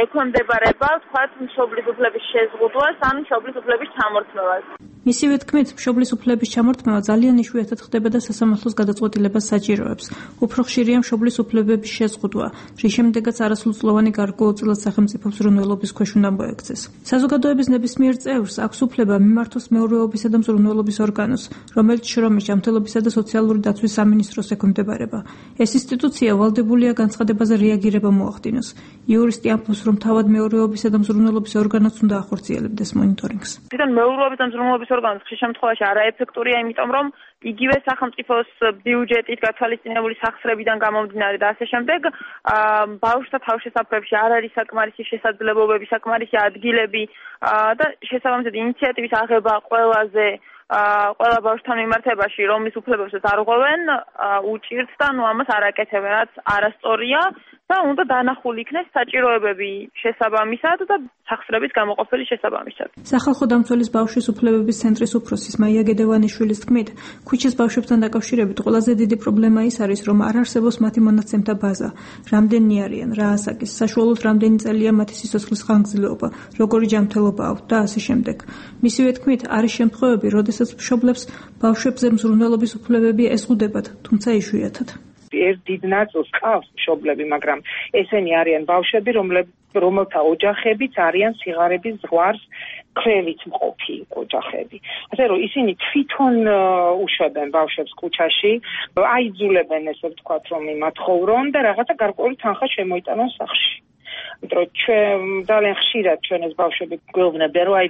ექვემდებარება, ვთქვათ, მშობლის უფლების შეზღუდვას ან მშობლის უფლების ჩამორთმევას. მისივე თქმით, მშობლის უფლების ჩამორთმევა ძალიან იშვიათად ხდება და სასამართლოს გადაწყვეტილებას საჭიროებს. უფრო ხშირია მშობლის უფლებების შეზღუდვა, რის შემდეგაც არასრულწლოვანი გარკვეულწილად სახელმწიფო ზრუნველობის ქვეშ უნდა მოექცეს. საზოგადოების ნებისმიერ წევრს აქვს უფლება მიმართოს მეურვეობისა და მზრუნველობის ორგანოს, რომელიც შრომის, ჯანმრთელობისა და სოციალური დაცვის სამინისტროს ექვემდებარება. ეს ინსტიტუცია ვალდებულია განცხადებაზე რეაგირება მოახდინოს. იურისტი ამბობს, რომ თავად მეურვეობისა და მზრუნველობის ორგანოც უნდა ახორციელებდეს მონიტორინგს. თვითონ მეურვეობის და მზრუნველობის ორგანოს ხშირ შემთხვევაში არაეფექტურია, იმიტომ რომ იგივე სახელმწიფოს ბიუჯეტით გათვალისწინებული სახსრებიდან გამომდინარე და ასე შემდეგ ბავშვთა თავშესაფრებში არ არის საკმარისი შესაძლებლობები, საკმარისი ადგილები და შესაბამისად ინიციატივის აღება ყველა ბავშვთან მიმართებაში, რომ მის უფლებებსაც არ ღვევენ, უჭირთ და ამას არ აკეთებენ, რაც არასწორია და უნდა დანახული იქნეს საჭიროებები შესაბამისად და სახსრების გამოყოფილი შესაბამისად. სახალხო დამცველის ბავშვის უფლებების ცენტრის უფროსის მაია გედევანიშვილის თქმით, ქუჩის ბავშვებთან დაკავშირებით ყველაზე დიდი პრობლემა ის არის, რომ არ არსებობს მათი მონაცემთა ბაზა, რამდენი არიან, რა ასაკის, საშუალოდ რამდენი წელია მათი სიცოცხლის ხანგრძლივობა, როგორი ჯანმრთელობა აქვთ და ასე შემდეგ. მისივე თქმით, არის შემთხვევები, როდესაც მშობლებს ბავშვებზე მზრუნველობის უფლებები ეზღუდებათ, თუმცა იშვიათად. ერთ დიდ ნაწილს ყავს მშობლები, მაგრამ ესენი არიან ბავშვები, რომელთა ოჯახებიც არიან სიღარიბის ზღვარს ქვევით მყოფი ოჯახები. ასე რომ ისინი თვითონ უშვებენ ბავშვებს ქუჩაში, აიძულებენ ესე ვთქვათ, რომ იმათხოვრონ და რაღაცა გარკვეული თანხა შემოიტანონ სახლში. იმიტომ ჩვენ ძალიან ხშირად ჩვენ ეს ბავშვები გვეუბნებიან, რომ აი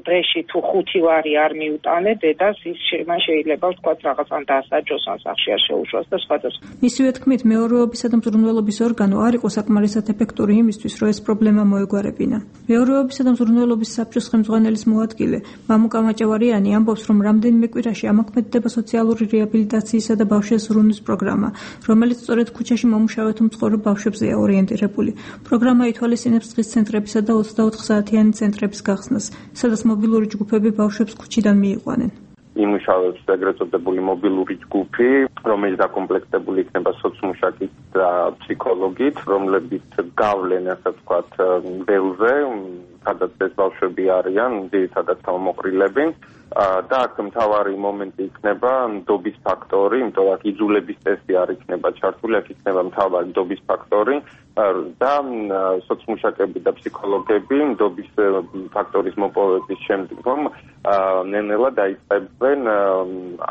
დღეში თუ 5 ვარი არ მიუტანე დედას, ის შეიძლება ვთქვათ რაღაცან დაასაჯოს ან სახლში არ შეუშვას და სხვა. მისივე თქმით, მეურვეობისა და მზრუნველობის ორგანო არ იყო საკმარისად ეფექტური იმისთვის, რომ ეს პრობლემა მოეგვარებინა. მეურვეობისა და მზრუნველობის საბჭოს ხელმძღვანელის მოადგილე მამუკა მაჭავარიანი ამბობს, რომ რამდენიმე კვირაში ამოქმედდება სოციალური რეაბილიტაციისა და ბავშვების ზრუნვის პროგრამა, რომელიც სწორედ ქუჩაში მომუშავე თუ მწყორო ბავშვებზეა ორიენტირებული. პროგრამა ითვალისწინებს დღის ცენტრებისა და 24 საათიანი ცენტრების გახსნას, სადაც მობილური ჯგუფები ბავშვებს ქუჩიდან მიიყვანენ. იმუშავებს ეგრეთ წოდებული მობილური ჯგუფი, რომელიც დაკომპლექტებული იქნება სოციმუშაკით და ფსიქოლოგით, რომლებიც გავლენ, ასე ვთქვათ, ველზე, სადაც ეს ბავშვები არიან, ძირითადად თავმოყრილები. და აქ მთავარი მომენტი იქნება ნდობის ფაქტორი, იმიტომ რომ აქ იძულების წესი არ იქნება ჩართული, აქ იქნება მთავარი ნდობის ფაქტორი და სოციმუშაკები და ფსიქოლოგები ნდობის ფაქტორის მოპოვების შემდეგ რომ ნენელა დაიწყებენ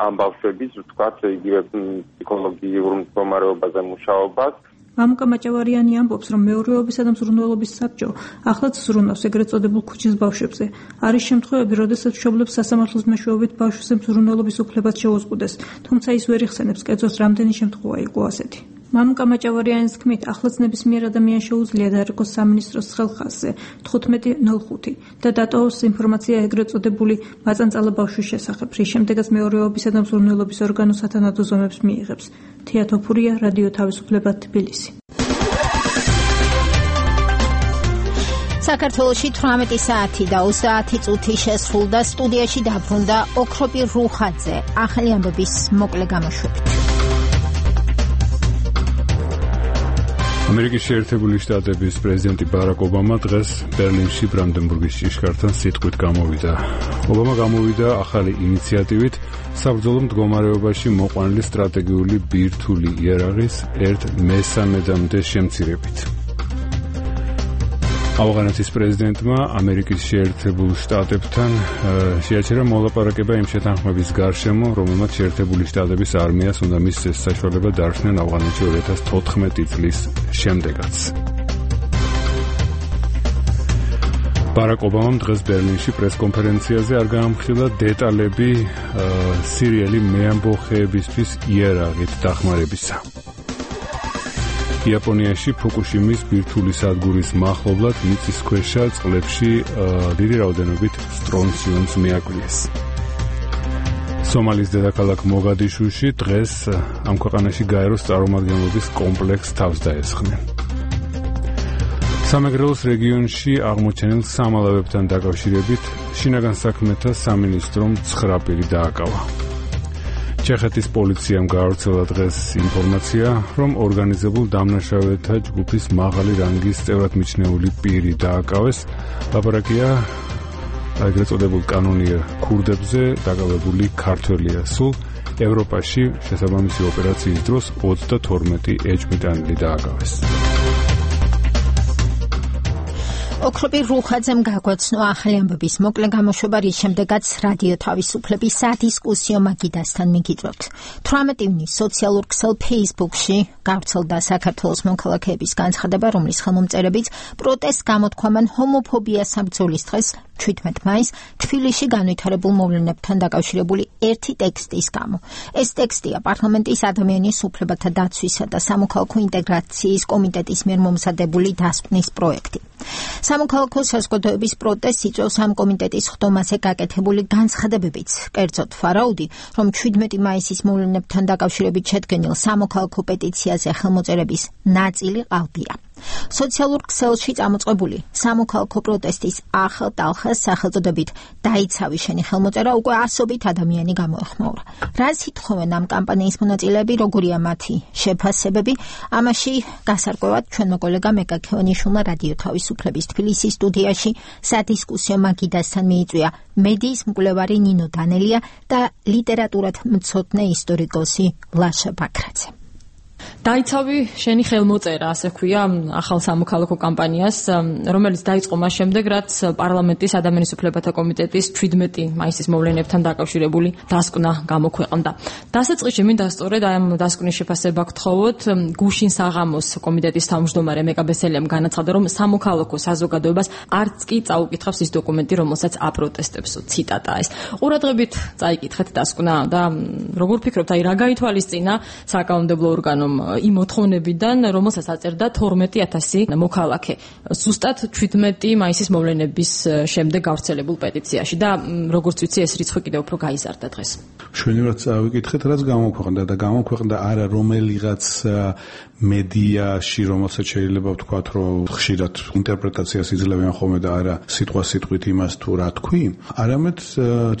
ამ ბავშვების ვთქვათ იგივე ფსიქოლოგიურ მდგომარეობაზე მუშაობას. მამუკა მაჭავარიანი ამბობს, რომ მეურვეობისა და მზრუნველობის საბჭო ახლაც ზრუნავს ეგრეთ წოდებულ ქუჩის ბავშვებზე. არის შემთხვევები, როდესაც მშობლებს სასამართლოს მეშვეობით ბავშვზე მზრუნველობის უფლებაც შეუზღუდეს, თუმცა ის ვერ იხსენებს კერძოს რამდენი შემთხვევა იყო ასეთი. მამუკა მაჭავარიანის თქმით, ახლაც ნებისმიერ ადამიანს შეუძლია დაერქოს სამინისტროს ხელხაზზე 15.05 და დატოვოს ინფორმაცია ეგრეთ წოდებული მაწანწალა ბავშვის შესახებ, რის შემდეგაც მეურვეობისა და მზრუნველობის ორგანო სათანადო ზომებს მიიღებს. თია თოფურია, რადიო თავისუფლება, თბილისი. საქართველოში 18 საათი და 30 წუთი შესრულდა, სტუდიაში დაბრუნდა ოქროპი რუხაძე, ახალი ამბების მოკლე გამოშვებით. ამერიკის შეერთებული შტატების პრეზიდენტი ბარაკ ობამა დღეს ბერლინში ბრანდენბურგის ჭიშკართან სიტყვით გამოვიდა. ობამა გამოვიდა ახალი ინიციატივით საბრძოლო მდგომარეობაში მოყვანილი სტრატეგიული ბირთვული იარაღის 1/3-მდე შემცირებით. ავღანეთის პრეზიდენტმა ამერიკის შეერთებულ შტატებთან შეაჩერა მოლაპარაკება იმ შეთანხმების გარშემო, რომელმაც შეერთებული შტატების არმიას უნდა მისცეს საშუალება დარჩნენ ავღანეთში 2014 წლის შემდეგაც. ბარაკ ობამამ დღეს ბერლინში პრესკონფერენციაზე არ გაამხილა დეტალები სირიელი მეამბოხეებისთვის იარაღით დახმარებისა. იაპონიაში ფუკუშიმის ბირთვული სადგურის მახლობლად მიწისქვეშა წყლებში დიდი რაოდენობით სტრონციუმს მიაკვლიეს. სომალის დედაქალაქ მოგადიშუში დღეს ამ ქვეყანაში გაეროს წარმომადგენლობის კომპლექსს თავს დაესხნენ. სამეგრელოს რეგიონში აღმოჩენილ სამალავებთან დაკავშირებით შინაგან საქმეთა სამინისტრომ 9 პირი დააკავა. ჩეხეთის პოლიციამ გაავრცელა დღეს ინფორმაცია, რომ ორგანიზებულ დამნაშავეთა ჯგუფის მაღალი რანგის წევრად მიჩნეული პირი დააკავეს. ლაპარაკია ეგრეთ წოდებულ კანონიერ ქურდებზე დაკავებული ქართველია. სულ ევროპაში შესაბამისი ოპერაციის დროს 32 ეჭვმიტანილი დააკავეს. ოქროპი რუხაძემ გაგვაცნო ახალი ამბების მოკლე გამოშვება, რის შემდეგაც რადიო თავისუფლების სადისკუსიო მაგიდასთან მიგიწევთ. 18 ივნისს სოციალურ ქსელ Facebook-ში გავრცელდა საქართველოს მოქალაქეების განცხადება, რომლის ხელმომწერებიც პროტესტს გამოთქვამან ჰომოფობიას საბრძოლის დღეს 17 მაისს თბილისში განვითარებულ მოვლენებთან დაკავშირებული ერთი ტექსტის გამო. ეს ტექსტია პარლამენტის ადამიანის უფლებათა დაცვისა და სამოქალაქო ინტეგრაციის კომიტეტის მიერ მომზადებული დასკვნის პროექტი. სამოქალაქო საზოგადოების პროტესტს იწვევს ამ კომიტეტის ხდომაზე გაკეთებული განცხადებებიც. კერძოდ ვარაუდი, რომ 17 მაისის მოვლენებთან დაკავშირებით შედგენილ სამოქალაქო პეტიციაზე ხელმოწერების ნაწილი ყალბია. სოციალურ ქსელში წამოწყებული სამოქალაქო პროტესტის ახალ-ტალხას სახელწოდებით დაიცავი შენი ხელმოწერა უკვე ასობით ადამიანი გამოეხმაურა. რას ითხოვენ ამ კამპანიის მონაწილეები, როგორია მათი შეფასებები? ამაში გასარკვევად ჩვენმა კოლეგა მეკა ქევანიშვილმა რადიო თავისუფლების თბილისის სტუდიაში სადისკუსიო მაგიდასთან მიიწვია მედიის მკვლევარი ნინო დანელია და ლიტერატურად მცოდნე ისტორიკოსი ლაშა ბაქრაძე. დაიცავი შენი ხელმოწერა, ასე ქვია ახალ სამოქალაქო კამპანიას, რომელიც დაიწყო მას შემდეგ, რაც პარლამენტის ადამიანის უფლებათა კომიტეტის 17 მაისის მოვლენებთან დაკავშირებული დასკვნა გამოქვეყნდა. დასაწყისში მინდა სწორედ ამ დასკვნის შეფასება გთხოვოთ. გუშინ საღამოს კომიტეტის თავმჯდომარე მეკა ბესელიამ განაცხადა, რომ სამოქალაქო საზოგადოებას არც კი წაუკითხავს ის დოკუმენტი, რომელსაც აპროტესტებს. ციტატაა ეს. ყურადღებით წაიკითხეთ დასკვნა და როგორ ფიქრობთ, აი რა გაითვალისწინა საკანონმდებლო ორგანომ იმ მოთხოვნებიდან, რომელსაც აწერდა 12,000 მოქალაქე. ზუსტად 17 მაისის მოვლენების შემდეგ გავრცელებულ პეტიციაში და როგორც ვიცი, ეს რიცხვი კიდევ უფრო გაიზარდა დღეს. შვენივად წავიკითხეთ, რაც გამოქვეყნდა და გამოქვეყნდა არა რომელიღაც მედიაში, რომელსაც შეიძლება ვთქვათ, რომ ხშირად ინტერპრეტაციას იძლევიან ხოლმე და არა სიტყვასიტყვით იმას თუ რა თქვი, არამედ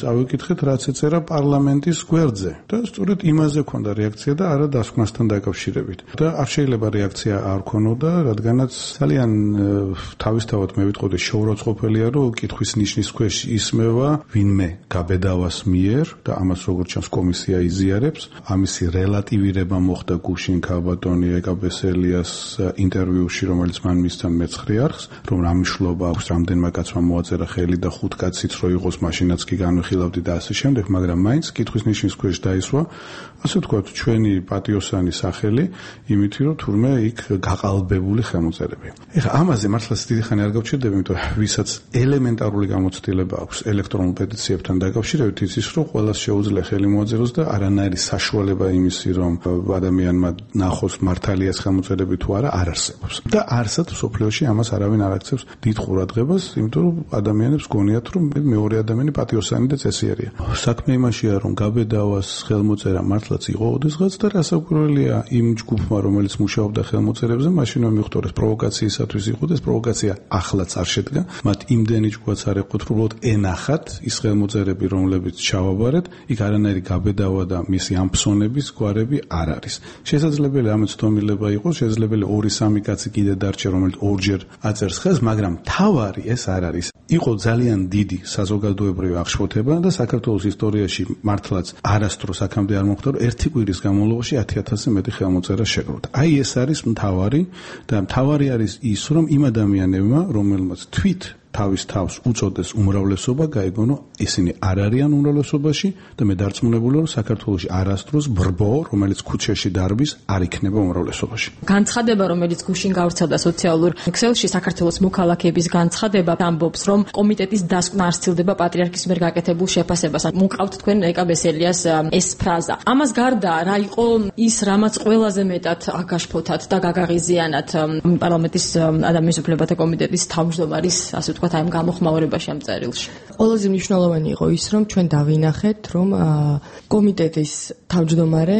წავიკითხეთ, რაც ეწერა პარლამენტის გვერდზე და სწორედ იმაზე ქონდა რეაქცია და არა დასკვნასთან დაკავშირებით. და არ შეიძლება რეაქცია არ ქონოდა, რადგანაც ძალიან თავისთავად მე ვიტყოდი შეურაცხყოფელია, რომ კითხვის ნიშნის ქვეშ ისმევა ვინმე გაბედავას მიერ და ამას როგორც ჩანს კომისია იზიარებს. ამისი რელატივირება მოხდა გუშინ ქალბატონი ეკა ნიკა ბესელიას ინტერვიუში, რომელიც მან მისცან მეცხრე არხს, რომ რა მნიშვნელობა აქვს რამდენმა კაცმა მოაწერა ხელი და 5 კაციც რო იყოს, მაშინაც კი განვიხილავდი და ასე შემდეგ, მაგრამ მაინც კითხვის ნიშნის ქვეშ დაისვა, ასე ვთქვათ, ჩვენი პატიოსანი სახელი, იმით რომ თურმე იქ გაყალბებული ხელმოწერები. ეხლა ამაზე მართლაც დიდი ხანი არ გავჩერდები, იმიტომ ვისაც ელემენტარული გამოცდილება აქვს ელექტრონულ პეტიციებთან დაკავშირებით, იცის რომ ყველას შეუძლია ხელი მოაწეროს და არანაირი საშუალება იმისი, რომ ადამიანმა ნახოს მართალიას ხელმოწერები თუ არა, არ არსებობს. და არსად სოფლიოში ამას არავინ არ აქცევს დიდ ყურადღებას, იმიტომ რომ ადამიანებს გონიათ, რომ მეორე ადამიანი პატიოსანი და წესიერია. საქმე იმაშია, რომ გაბედავას ხელმოწერა მართლაც იყო ოდესღაც და რასაკვირველია იმ ჯგუფმა, რომელიც მუშაობდა ხელმოწერებზე, მაშინვე მიხვდორეს პროვოკაციისათვის იყო და ეს პროვოკაცია ახლაც არ შედგა. მათ იმდენი ჯგუფაც არ ეყოთ, რომ უბრალოდ ენახათ ის ხელმოწერები, რომლებიც ჩავაბარეთ, იქ არანაირი გაბედავა და მისი ამფსონების გვარები არ არის. შესაძლებელი ამაც თომილება იყოს, შესაძლებელი 2-3 კაცი კიდე დარჩა, რომელიც ორჯერ აწერს ხელს, მაგრამ თავარი ეს არ არის. იყო ძალიან დიდი საზოგადოებრივი აღშფოთება და საქართველოს ისტორიაში მართლაც არასდროს აქამდე არ მოხდა, რომ ერთი კვირის განმავლობაში 10,000-ზე მეტი ხელმოწერა შეგროვდა. აი ეს არის მთავარი და მთავარი არის ის, რომ იმ ადამიანებმა, რომელმაც თვით თავის თავს უწოდეს უმრავლესობა, გაიგონო ისინი არ არიან უმრავლესობაში და მე დარწმუნებული ვარ, საქართველოში არასდროს ბრბო, რომელიც ქუჩაში დარბის, არ იქნება უმრავლესობაში. განცხადება, რომელიც გუშინ გავრცელდა სოციალურ ქსელში, საქართველოს მოქალაქეების განცხადება ამბობს, რომ კომიტეტის დასკვნა არ სცილდება პატრიარქის მიერ გაკეთებულ შეფასებას. მოყავთ თქვენ ნიკა ბესელიას ეს ფრაზა. ამას გარდა რა იყო ის, რამაც ყველაზე მეტად აგაშფოთათ და გაგაღიზიანათ პარლამენტის ადამიანის უფლებათა კომიტეტის თავმჯდომარის, ასე ვთქვათ, აი ამ გამოხმაურებაში ამ წერილში. ყველაზე მნიშვნელოვანი იყო ის, რომ ჩვენ დავინახეთ, რომ კომიტეტის თავმჯდომარე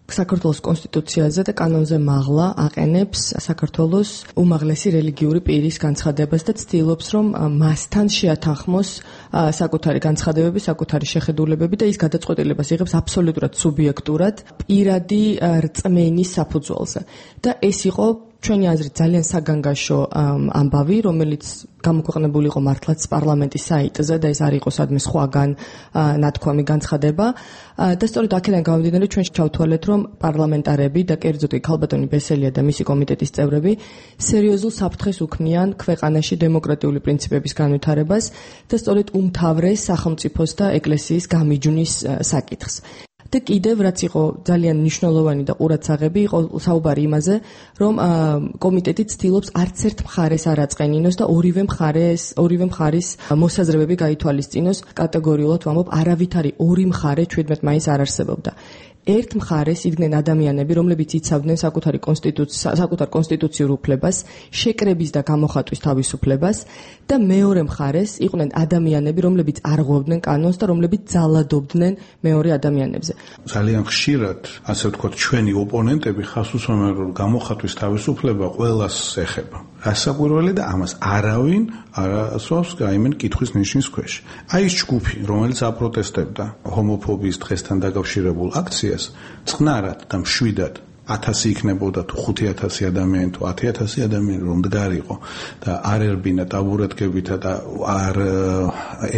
საქართველოს კონსტიტუციაზე და კანონზე მაღლა აყენებს საქართველოს უმაღლესი რელიგიური პირის განცხადებას და ცდილობს, რომ მასთან შეათანხმოს საკუთარი განცხადებები, საკუთარი შეხედულებები და ის გადაწყვეტილებას იღებს აბსოლუტურად სუბიექტურად, პირადი რწმენის საფუძველზე. და ეს იყო ჩვენი აზრით ძალიან საგანგაშო ამბავი, რომელიც გამოქვეყნებული იყო მართლაც პარლამენტის საიტზე და ეს არ იყო სადმე სხვაგან ნათქვამი განცხადება და სწორედ აქედან გამომდინარე ჩვენ ჩავთვალეთ, რომ პარლამენტარები და კერძოდ ქალბატონი ბესელია და მისი კომიტეტის წევრები სერიოზულ საფრთხეს უქმნიან ქვეყანაში დემოკრატიული პრინციპების განვითარებას და სწორედ უმთავრეს სახელმწიფოს და ეკლესიის გამიჯვნის საკითხს. და კიდევ რაც იყო ძალიან მნიშვნელოვანი და ყურადსაღები იყო საუბარი იმაზე, რომ კომიტეტი ცდილობს არც ერთ მხარეს არ აწყენინოს და ორივე მხარის მოსაზრებები გაითვალისწინოს. კატეგორიულად ვამბობ, არავითარი ორი მხარე 17 მაისს არ არსებობდა. ერთ მხარეს იდგნენ ადამიანები, რომლებიც იცავდნენ საკუთარ კონსტიტუციურ უფლებას, შეკრების და გამოხატვის თავისუფლებას და მეორე მხარეს იყვნენ ადამიანები, რომლებიც არღვევდნენ კანონს და რომლებიც ძალადობდნენ მეორე ადამიანებზე. ძალიან ხშირად, ასე ვთქვათ, ჩვენი ოპონენტები ხას უსვამენ, რომ გამოხატვის თავისუფლება ყველას ეხება. რასაკვირველი და ამას არავინ არ ასვავს გაიმენ კითხვის ნიშნის ქვეშ. აი ეს ჯგუფი, რომელიც აპროტესტებდა ჰომოფობიის დღესთან დაკავშირებულ აქციას, წყნარად და მშვიდად 1000 იქნებოდა თუ 5000 ადამიანი თუ 10000 ადამიანი რომ დგარიყო და არ ერბინა ტაბურეტკებითა და არ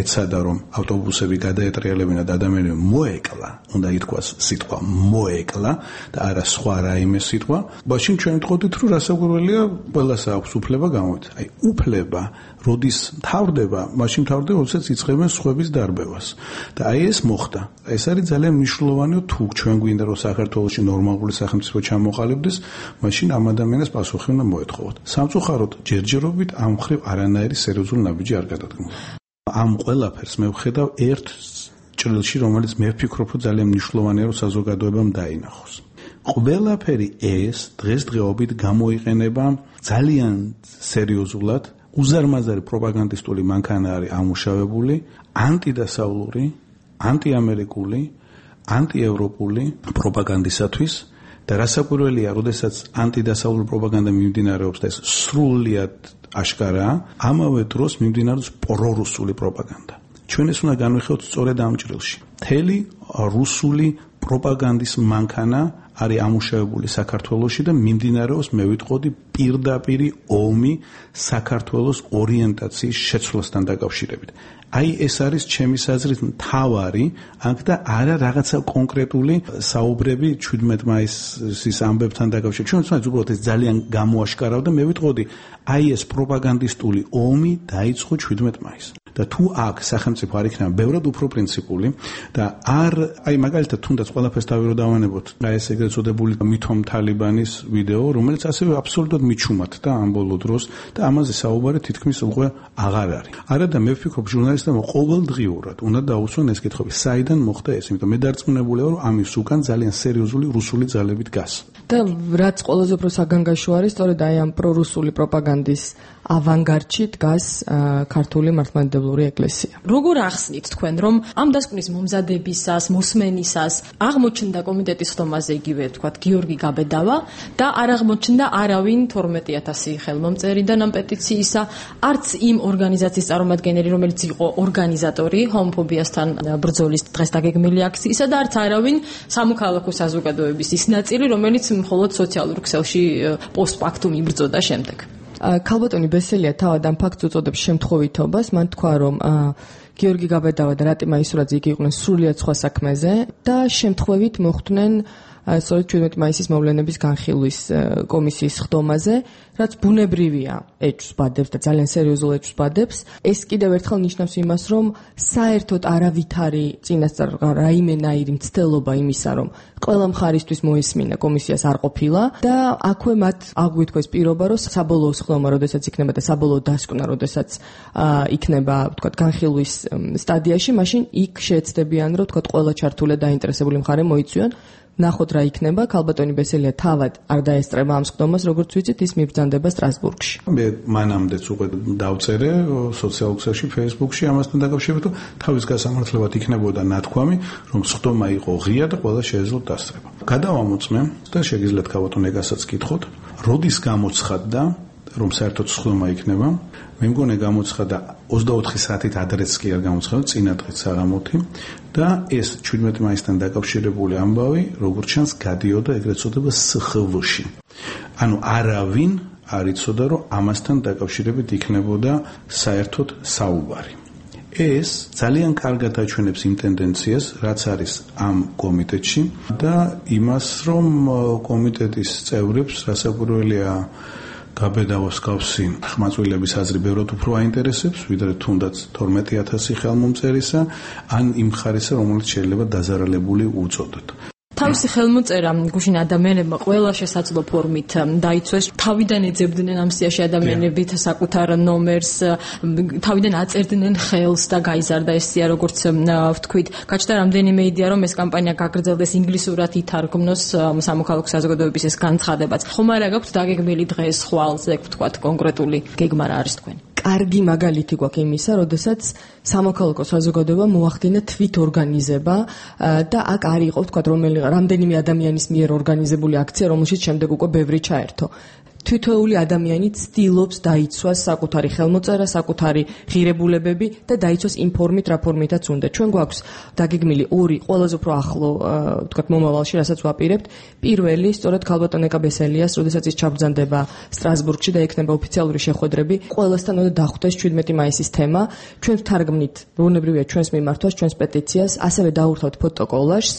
ეცადა რომ ავტობუსები გადაეტრიალებინა და ადამიანები მოეკლა, უნდა ითქვას სიტყვა მოეკლა და არა სხვა რაიმე სიტყვა. მაშინ ჩვენ ვთქვით, რომ რასაკვირველია, ყველას აქვს უფლება გამოვით. აი უფლება როდის თავდება, მაშინ თავდება, როდესაც იწყებენ სხვების დარბევას. და აი ეს მოხდა. ეს არის ძალიან მნიშვნელოვანი, თუ ჩვენ გვინდა რომ საქართველოში ნორმალური სახელმწიფო ჩამოყალიბდეს, მაშინ ამ ადამიანებს პასუხი უნდა მოეთხოვოთ. სამწუხაროდ, ჯერჯერობით ამ მხრივ არანაირი სერიოზული ნაბიჯი არ გადადგმულა. ამ ყველაფერს მე ვხედავ ერთ ჭრილში, რომელიც მე ვფიქრობ, რომ ძალიან მნიშვნელოვანია, რომ საზოგადოებამ დაინახოს. ყველაფერი ეს დღესდღეობით გამოიყენება ძალიან სერიოზულად, უზარმაზარი პროპაგანდისტული მანქანა არის ამუშავებული ანტიდასავლური, ანტიამერიკული, ანტიევროპული პროპაგანდისათვის და რასაკვირველია, როდესაც ანტიდასავლური პროპაგანდა მიმდინარეობს და ეს სრულიად აშკარაა, ამავე დროს მიმდინარეობს პრორუსული პროპაგანდა. ჩვენ ეს უნდა განვიხილოთ სწორედ ამ ჭრილში. მთელი რუსული პროპაგანდის მანქანა არის ამუშავებული საქართველოში და მიმდინარეობს მე ვიტყოდი პირდაპირი ომი საქართველოს ორიენტაციის შეცვლასთან დაკავშირებით. აი ეს არის ჩემის აზრით მთავარი აქ და არა რაღაცა კონკრეტული საუბრები 17 მაისის ამბებთან დაკავშირებით. ჩვენ უბრალოდ ეს ძალიან გამოაშკარავდა მე ვიტყოდი აი ეს პროპაგანდისტული ომი დაიწყო 17 მაისს. და თუ აქ სახელმწიფო არ იქნება ბევრად უფრო პრინციპული და აი მაგალითად თუნდაც ყველაფერს დავიროდავანებოთ აი ეს ეგრეთ წოდებული მithom თალიბანის ვიდეო რომელიც ასევე აბსოლუტურად მიჩუმათ და ამ ბოლო დროს და ამაზე საუბარი თითქმის უკვე აღარ არის. არა და მე ვფიქრობ ჟურნალისტებმა ყოველდღიურად უნდა დაუსვან ეს კითხვები საიდან მოხდა ეს იმიტომ მე დარწმუნებულია რომ ამის უკან ძალიან სერიოზული რუსული ძალები დგას. და რაც ყველაზე უფრო საგანგაშო არის სწორედ აი ამ პრორუსული პროპაგანდის ავანგარდში დგას ქართული მართლმადიდებლური ეკლესია. როგორ ახსნით თქვენ რომ ამ დასკვნის მომზადებისას, მოსმენისას აღმოჩნდა კომიტეტის ხდომაზე იგივე თქვათ გიორგი გაბედავა და არ აღმოჩნდა არავინ 12000 ხელმომწერიდან ამ პეტიციისა, არც იმ ორგანიზაციის წარმომადგენელი, რომელიც იყო ორგანიზატორი ჰომოფობიასთან ბრძოლის დღეს დაგეგმილი აქციისა და არც არავინ სამოქალაქო საზოგადოების ის ნაწილი, რომელიც მხოლოდ სოციალურ ქსელში პოსტფაქტუმ იბრძოდა შემდეგ. ქალბატონი ბესელია თავად ამ ფაქტს უწოდებს შემთხვევითობას, მან თქვა რომ გიორგი გაბედავა და რატი მაისურაძე იგი იყვნენ სრულიად სხვა საქმეზე და შემთხვევით მოხვდნენ სწორედ 17 მაისის მოვლენების განხილვის კომისიის ხდომაზე, რაც ბუნებრივია ეჭვს ბადებს და ძალიან სერიოზულ ეჭვს ბადებს. ეს კიდევ ერთხელ ნიშნავს იმას, რომ საერთოდ არავითარი წინასწარ რაიმენაირი მცდელობა იმისა, რომ ყველა მხარისთვის მოესმინა კომისიას არ ყოფილა და აქვე მათ აღვიქვა ეს პირობა, რომ საბოლოო ხდომა, როდესაც იქნება და საბოლოო დასკვნა, როდესაც იქნება, ვთქვათ, განხილვის სტადიაში, მაშინ იქ შეეცდებიან, რომ ვთქვათ, ყველა ჩართული და დაინტერესებული მხარე მოიწვიონ. ნახოთ რა იქნება, ქალბატონი ბესელია თავად არ დაესწრება ამ ხდომას, როგორც ვიცით, ის მიბრძანდება სტრასბურგში. მე მანამდეც უკვე დავწერე სოციალურ ქსელში, Facebook-ში ამასთან დაკავშირებით, რომ თავის გასამართლებლად იქნებოდა ნათქვამი, რომ ხდომა იყო ღია და ყველა შეეძლოთ დასწრება. გადავამოწმე და შეგიძლიათ ქალბატონ ეგასაც კითხოთ, როდის გამოცხადდა, რომ საერთოდ ხდომა იქნება. მე მგონი გამოცხადა 24 საათით ადრეც კი არ გამოცხადა, წინა დღეს საღამოთი და ეს 17 მაისთან დაკავშირებული ამბავი, როგორც ჩანს, გადიოდა ეგრეთ წოდება SXV-ში. ანუ არავინ არ იცოდა, რომ ამასთან დაკავშირებით იქნებოდა საერთოდ საუბარი. ეს ძალიან კარგად აჩვენებს იმ ტენდენციას, რაც არის ამ კომიტეტში და იმას, რომ კომიტეტის წევრებს რასაკვირველია გაბედავას გავსი ხმაწვილების აზრი ბევრად უფრო აინტერესებს, ვიდრე თუნდაც 12000 ხელმომწერისა, ან იმ ხარისა, რომელიც შეიძლება დაზარალებული უწოდოთ. თავისი ხელმოწერა გუშინ ადამიანებმა ყველა შესაძლო ფორმით დაიცვეს. თავიდან ეძებდნენ ამ სიაში ადამიანებით საკუთარ ნომერს, თავიდან აწერდნენ ხელს და გაიზარდა ეს სია, როგორც ვთქვით. გაჩნდა რამდენიმე იდეა, რომ ეს კამპანია გაგრძელდეს, ინგლისურად ითარგმნოს სამოქალაქო საზოგადოების ეს განცხადებაც. ხომ არა გაქვთ დაგეგმილი დღეს ხვალზე, ვთქვათ, კონკრეტული გეგმა რა არის თქვენი? კარგი მაგალითი გვაქვს იმისა, როდესაც სამოქალაქო საზოგადოება მოახდინა თვით ორგანიზება და აქ არ იყო, ვთქვათ, რამდენიმე ადამიანის მიერ ორგანიზებული აქცია, რომელშიც შემდეგ უკვე ბევრი ჩაერთო. თითოეული ადამიანი ცდილობს დაიცვას საკუთარი ხელმოწერა, საკუთარი ღირებულებები და დაიცვას იმ ფორმით, რა ფორმითაც უნდა. ჩვენ გვაქვს დაგეგმილი ორი ყველაზე უფრო ახლო, ვთქვათ, მომავალში, რასაც ვაპირებთ. პირველი, სწორედ ქალბატონ ეკაბესელიას, როდესაც ის ჩაბრძანდება სტრასბურგში და ექნება ოფიციალური შეხვედრები, ყველასთან უნდა დახვდეს 17 მაისის თემა. ჩვენ ვთარგმნით, ბუნებრივია ჩვენს მიმართვას, ჩვენს პეტიციას, ასევე დაურთავთ ფოტოკოლაჟს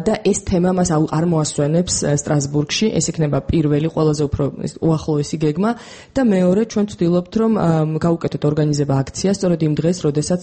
და ეს თემა მას არ მოასვენებს სტრასბურგში. ეს იქნება პირველი, ყველაზე უფრო უახლოესი გეგმა და მეორე ჩვენ ვცდილობთ რომ გავუკეთოთ ორგანიზება აქცია სწორედ იმ დღეს, როდესაც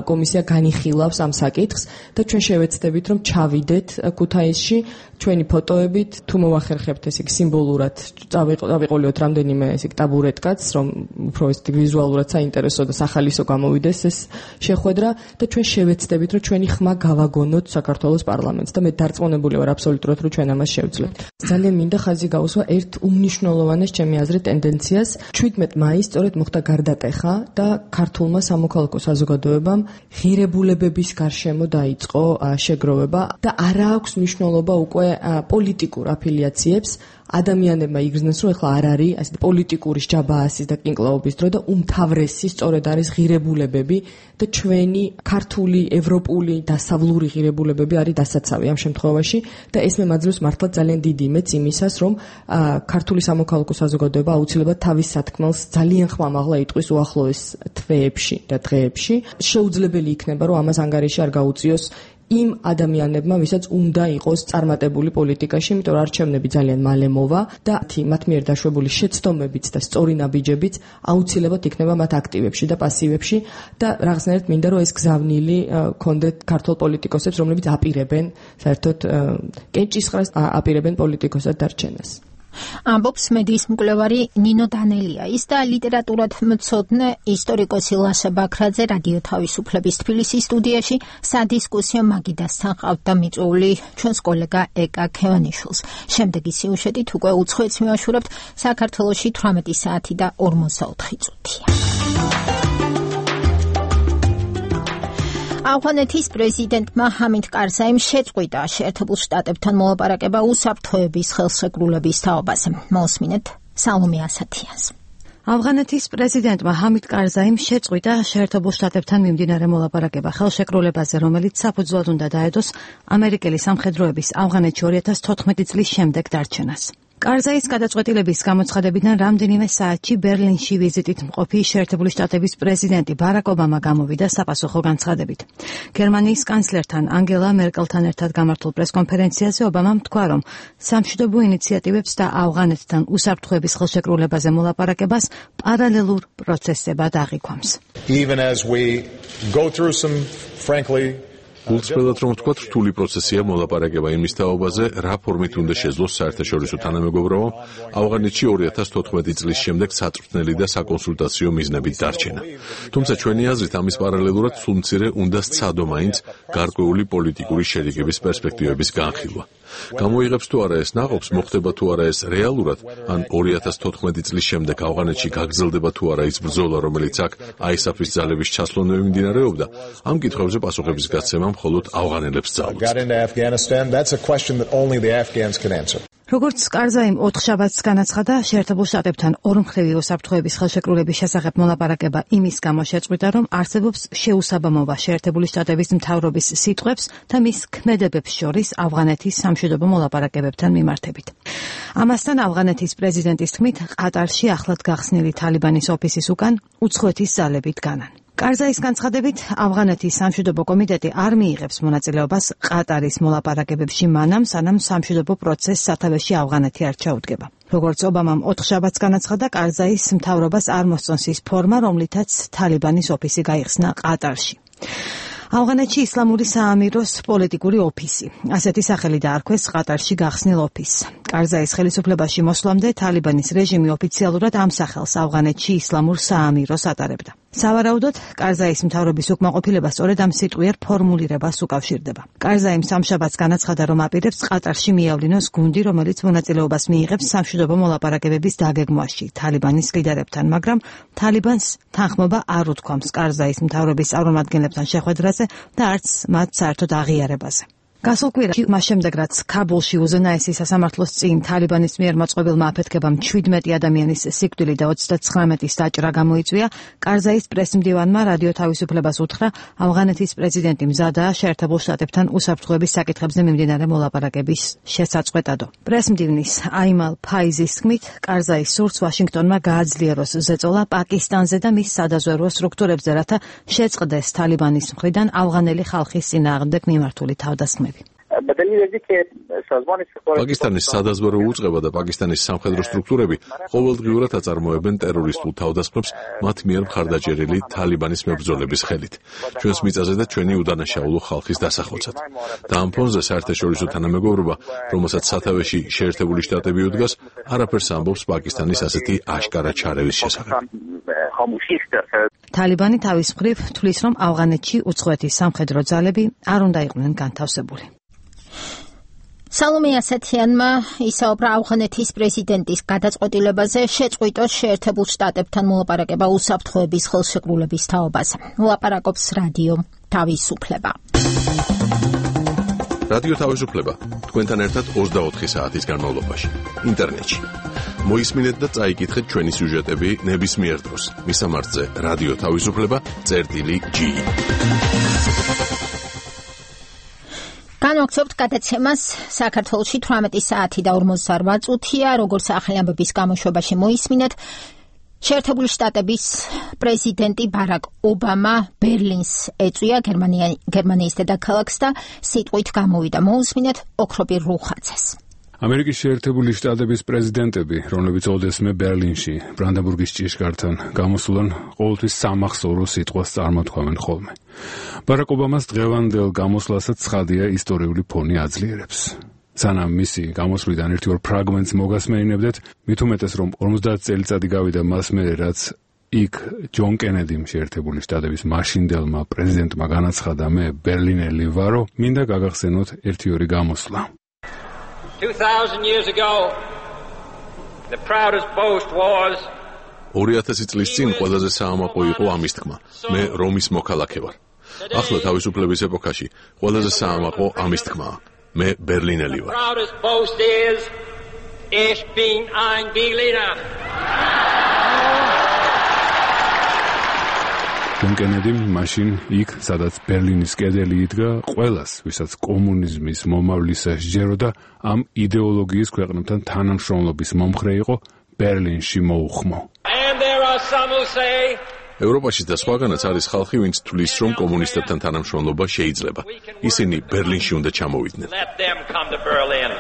კომისია განიხილავს ამ საკითხს და ჩვენ შევეცდებით რომ ჩავიდეთ ქუთაისში ჩვენი ფოტოებით, თუ მოახერხებთ ესე იგი სიმბოლურად წავიყოლიოთ რამდენიმე ესე იგი ტაბურეტკაც, რომ უფრო ესე ვიზუალურად საინტერესო და სახალისო გამოვიდეს ეს შეხვედრა და ჩვენ შევეცდებით რომ ჩვენი ხმა გავაგონოთ საქართველოს პარლამენტს და მე დარწმუნებული ვარ აბსოლუტურად რომ ჩვენ ამას შევძლებთ. ძალიან მინდა ხაზი გაუსვა ერთ უმნიშვნელოვანეს ჩემი აზრით ტენდენციას. 17 მაისს სწორედ მოხდა გარდატეხა და ქართულმა სამოქალაქო საზოგადოებამ ღირებულებების გარშემო დაიწყო შეგროვება და არა აქვს მნიშვნელობა უკვე პოლიტიკურ აფილიაციებს, ადამიანებმა იგრძნეს, რომ ეხლა არ არის ასე პოლიტიკური ჯაბაასის და კინკლაობის დრო და უმთავრესი სწორედ არის ღირებულებები და ჩვენი ქართული, ევროპული, დასავლური ღირებულებები არის დასაცავი ამ შემთხვევაში და ეს მე მაძლევს მართლა ძალიან დიდი იმედს იმისას, რომ ქართული სამოქალაქო საზოგადოება აუცილებლად თავის სათქმელს ძალიან ხმამაღლა იტყვის უახლოეს თვეებში და დღეებში. შეუძლებელი იქნება, რომ ამას ანგარიში არ გაუწიოს იმ ადამიანებმა, ვისაც უნდა იყოს წარმატებული პოლიტიკაში, იმიტომ რომ არჩევნები ძალიან მალე მოვა და მათ მიერ დაშვებული შეცდომებიც და სწორი ნაბიჯებიც აუცილებლად იქნება მათ აქტივებში და პასივებში და რაღაცნაირად მინდა რომ ეს გზავნილი კონდეთ ქართულ პოლიტიკოსებს, რომლებიც აპირებენ საერთოდ კენჭისყრას აპირებენ პოლიტიკოსად დარჩენას. ამბობს მედიის მკვლევარი ნინო დანელია. ის და ლიტერატურად მცოდნე ისტორიკოსი ლაშა ბაქრაძე რადიო თავისუფლების თბილისის სტუდიაში სადისკუსიო მაგიდასთან ყავთ და მიწვეული ჩვენს კოლეგა ეკა ქევანიშვილს. შემდეგი სიუჟეტით უკვე უცხოეთს მივაშურებთ. საქართველოში 18 საათი და 44 წუთია. ავღანეთის პრეზიდენტმა ჰამიდ კარზაიმ შეწყვიტა შეერთებულ შტატებთან მოლაპარაკება უსაფრთხოების ხელშეკრულების თაობაზე. მოსმინეთ სალომე ასათიანს. ავღანეთის პრეზიდენტმა ჰამიდ კარზაიმ შეწყვიტა შეერთებულ შტატებთან მიმდინარე მოლაპარაკება ხელშეკრულებაზე, რომელიც საფუძვლად უნდა დაედოს ამერიკელი სამხედროების ავღანეთში 2014 წლის შემდეგ დარჩენას. კარზაის გადაწყვეტილების გამოცხადებიდან რამდენიმე საათში ბერლინში ვიზიტით მყოფი შეერთებული შტატების პრეზიდენტი ბარაკ ობამა გამოვიდა საპასუხო განცხადებით. გერმანიის კანცლერთან ანგელა მერკელთან ერთად გამართულ პრესკონფერენციაზე ობამამ თქვა, რომ სამშვიდობო ინიციატივებს და ავღანეთთან უსაფრთხოების ხელშეკრულებაზე მოლაპარაკებას პარალელურ პროცესებად აღიქვამს. Even as we go through some frankly გულწრფელად რომ ვთქვათ, რთული პროცესია მოლაპარაკება იმის თაობაზე, რა ფორმით უნდა შეძლოს საერთაშორისო თანამეგობრობა ავღანეთში 2014 წლის შემდეგ საწვრთნელი და საკონსულტაციო მიზნებით დარჩენა. თუმცა ჩვენი აზრით ამის პარალელურად სულ მცირე უნდა სცადო მაინც გარკვეული პოლიტიკური შერიგების პერსპექტივების განხილვა. გამოიღებს თუ არა ეს ნაყოფს, მოხდება თუ არა ეს რეალურად, ან 2014 წლის შემდეგ ავღანეთში გაგრძელდება თუ არა ის ბრძოლა, რომელიც აქ ISAF-ის ძალების ჩასვლამდე მიმდინარეობდა, ამ კითხვებზე პასუხების გაცემა მხოლოდ ავღანელებს ძალუძს. როგორც კარზაიმ 4 შაბათს განაცხადა, შეერთებულ შტატებთან ორმხრივი უსაფრთხოების ხელშეკრულების შესახებ მოლაპარაკება იმის გამო შეწყვიტა, რომ არსებობს შეუსაბამობა შეერთებული შტატების მთავრობის სიტყვებს და მის ქმედებებს შორის ავღანეთის სამშვიდობო მოლაპარაკებებთან მიმართებით. ამასთან ავღანეთის პრეზიდენტის თქმით, ყატარში ახლად გახსნილი თალიბანის ოფისის უკან უცხოეთის ძალები დგანან. კარზაის განცხადებით, ავღანეთის სამშვიდობო კომიტეტი არ მიიღებს მონაწილეობას ყატარის მოლაპარაკებებში მანამ, სანამ სამშვიდობო პროცესს სათავეში ავღანეთი არ ჩაუდგება. როგორც ობამამ 4 შაბათს განაცხადა, კარზაის მთავრობას არ მოსწონს ის ფორმა, რომლითაც თალიბანის ოფისი გაიხსნა ყატარში. ავღანეთში ისლამური საამიროს პოლიტიკური ოფისი. ასეთი სახელი დაარქვეს ყატარში გახსნილ ოფისს. კარზაის ხელისუფლებაში მოსვლამდე თალიბანის რეჟიმი ოფიციალურად ამ სახელს ავღანეთში ისლამურ საამიროს ატარებდა. სავარაუდოდ, კარზაის მთავრობის უკმაყოფილება სწორედ ამ სიტყვიერ ფორმულირებას უკავშირდება. კარზაიმ სამშაბათს განაცხადა, რომ აპირებს ყატარში მიავლინოს გუნდი, რომელიც მონაწილეობას მიიღებს სამშვიდობო მოლაპარაკებების დაგეგმვაში თალიბანის ლიდერებთან, მაგრამ თალიბანს თანხმობა არ უთქვამს კარზაის მთავრობის წარმომადგენლებთან შეხვედრაზე და არც მათ საერთოდ აღიარებაზე. გასულ კვირაში, მას შემდეგ რაც ქაბულში უზენაესი სასამართლოს წინ თალიბანის მიერ მოწყობილმა აფეთქებამ 17 ადამიანის სიკვდილი და 39-ის დაჭრა გამოიწვია, კარზაის პრესმდივანმა რადიო თავისუფლებას უთხრა, ავღანეთის პრეზიდენტი მზადაა შეერთებულ შტატებთან უსაფრთხოების საკითხებზე მიმდინარე მოლაპარაკების შესაწყვეტადო. პრესმდივნის აიმალ ფაიზის თქმით, კარზაის სურს ვაშინგტონმა გააძლიეროს ზეწოლა პაკისტანზე და მის სადაზვერვო სტრუქტურებზე, რათა შეწყდეს თალიბანის მხრიდან ავღანელი ხალხის წინააღმდეგ მიმართული თავდასხმები. პაკისტანის სადაზვერვო უწყება და პაკისტანის სამხედრო სტრუქტურები ყოველდღიურად აწარმოებენ ტერორისტულ თავდასხმებს მათ მიერ მხარდაჭერილი თალიბანის მებრძოლების ხელით. ჩვენს მიწაზე და ჩვენი უდანაშაულო ხალხის დასახოცად. და ამ ფონზე საერთაშორისო თანამეგობრობა, რომელსაც სათავეში შეერთებული შტატები უდგას, არაფერს ამბობს პაკისტანის ასეთი აშკარა ჩარევის შესახებ. თალიბანი თავის მხრივ თვლის, რომ ავღანეთში უცხოეთის სამხედრო ძალები არ უნდა იყვნენ განთავსებული. სალომე ასათიანმა ისაუბრა ავღანეთის პრეზიდენტის გადაწყვეტილებაზე შეწყვიტოს შეერთებულ შტატებთან მოლაპარაკება უსაფრთხოების ხელშეკრულების თაობაზე. ლაპარაკობს რადიო თავისუფლება. რადიო თავისუფლება თქვენთან ერთად 24 საათის განმავლობაში ინტერნეტში. მოისმინეთ და წაიკითხეთ ჩვენი სიუჟეტები ნებისმიერ დროს. მისამართზე რადიო თავისუფლება.G. განვაგრძობთ გადაცემას საქართველოში 18 საათი და 48 წუთია, როგორც ახალი ამბების გამოშვებაში მოისმინეთ. შეერთებული შტატების პრეზიდენტი ბარაკ ობამა ბერლინს ეწვია გერმანიის დედაქალაქს და სიტყვით გამოვიდა. მოусმინეთ ოქროპირ რუხაძეს. ამერიკის შეერთებული შტატების პრეზიდენტები, რომლებიც ოდესმე ბერლინში, ბრანდენბურგის ჭიშკართან გამოსულან, ყოველთვის სამახსოვრო სიტყვას წარმოთქვამენ ხოლმე. ბარაკ ობამას დღევანდელ გამოსვლასაც ცხადია ისტორიული ფონი აძლიერებს. სანამ მისი გამოსვლიდან 1-2 ფრაგმენტს მოგასმენინებდეთ, მით უმეტეს რომ 50 წელიწადი გავიდა მას მერე, რაც იქ ჯონ კენედიმ შეერთებული შტატების მაშინდელმა პრეზიდენტმა განაცხადა, მე ბერლინელი ვარო, მინდა გაგახსენოთ 1-2 გამოსვლა. 2000 years ago, the proudest boast was 2000 წლის წინ ყველაზე საამაყო იყო ამის თქმა, მე რომის მოქალაქე ვარ. ახლა თავისუფლების ეპოქაში ყველაზე საამაყო ამის თქმაა, მე ბერლინელი ვარ. The proudest boast is ich bin ein Berliner. ჯონ კენედიმ მაშინ იქ, სადაც ბერლინის კედელი იდგა, ყველას, ვისაც კომუნიზმის მომავლისა სჯეროდა, ამ იდეოლოგიის ქვეყნებთან თანამშრომლობის მომხრე იყო, ბერლინში მოუხმო. And there are some who say ევროპაში და სხვაგანაც არის ხალხი, ვინც თვლის, რომ კომუნისტებთან თანამშრომლობა შეიძლება. ისინი ბერლინში უნდა ჩამოვიდნენ. Let them come to Berlin.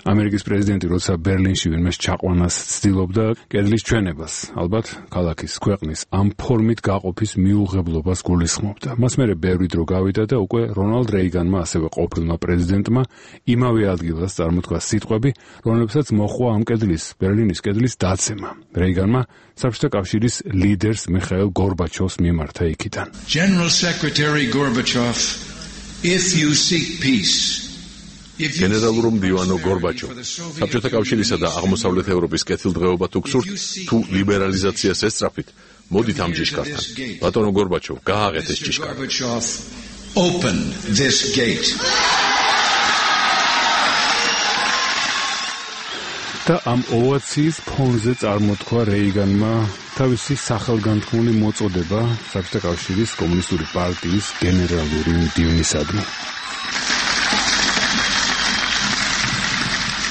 ამერიკის პრეზიდენტი როცა ბერლინში ვინმეს ჩაყვანას ცდილობდა კედლის ჩვენებას, ალბათ ქალაქის ქვეყნის ამ ფორმით გაყოფის მიუღებლობას გულისხმობდა. მას მერე ბევრი დრო გავიდა და უკვე რონალდ რეიგანმა, ასევე ყოფილმა პრეზიდენტმა იმავე ადგილას წარმოთქვა სიტყვები, რომლებსაც მოჰყვა ამ კედლის, ბერლინის კედლის დაცემა. რეიგანმა საბჭოთა კავშირის ლიდერს მიხაილ გორბაჩოვს მიმართა იქიდან. General Secretary Gorbachev, if you seek peace, გენერალური მდივანო გორბაჩოვ, საბჭოთა კავშირისა და აღმოსავლეთ ევროპის კეთილდღეობა თუ გსურთ, თუ ლიბერალიზაციას ესწრაფით, მოდით ამ ჭიშკართან. ბატონო გორბაჩოვ, გააღეთ ეს ჭიშკარი. Open this gate. და ამ ოვაციის ფონზე წარმოთქვა რეიგანმა თავისი სახელგანთქმული მოწოდება საბჭოთა კავშირის კომუნისტური პარტიის გენერალური მდივნისადმი.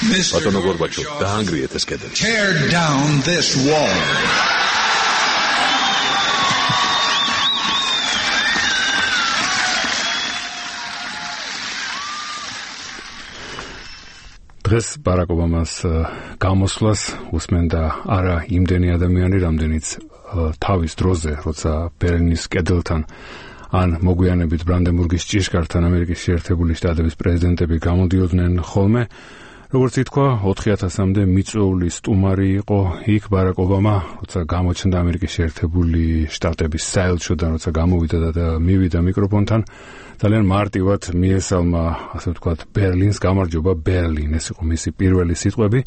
ბატონო გორბაჩოვ, დაანგრიეთ ეს კედელი. Tear down this wall. დღეს ბარაკ ობამას გამოსვლას უსმენდა არა იმდენი ადამიანი, რამდენიც თავის დროზე, როცა ბერლინის კედელთან ან მოგვიანებით ბრანდენბურგის ჭიშკართან ამერიკის შეერთებული შტატების პრეზიდენტები გამოდიოდნენ ხოლმე. როგორც ითქვა, 4000-მდე მიწვეული სტუმარი იყო იქ ბარაკ ობამა, როცა გამოჩნდა ამერიკის შეერთებული შტატების საელჩოდან, როცა გამოვიდა და მივიდა მიკროფონთან, ძალიან მარტივად მიესალმა, ასე ვთქვათ, ბერლინს, გამარჯობა ბერლინ, ეს იყო მისი პირველი სიტყვები.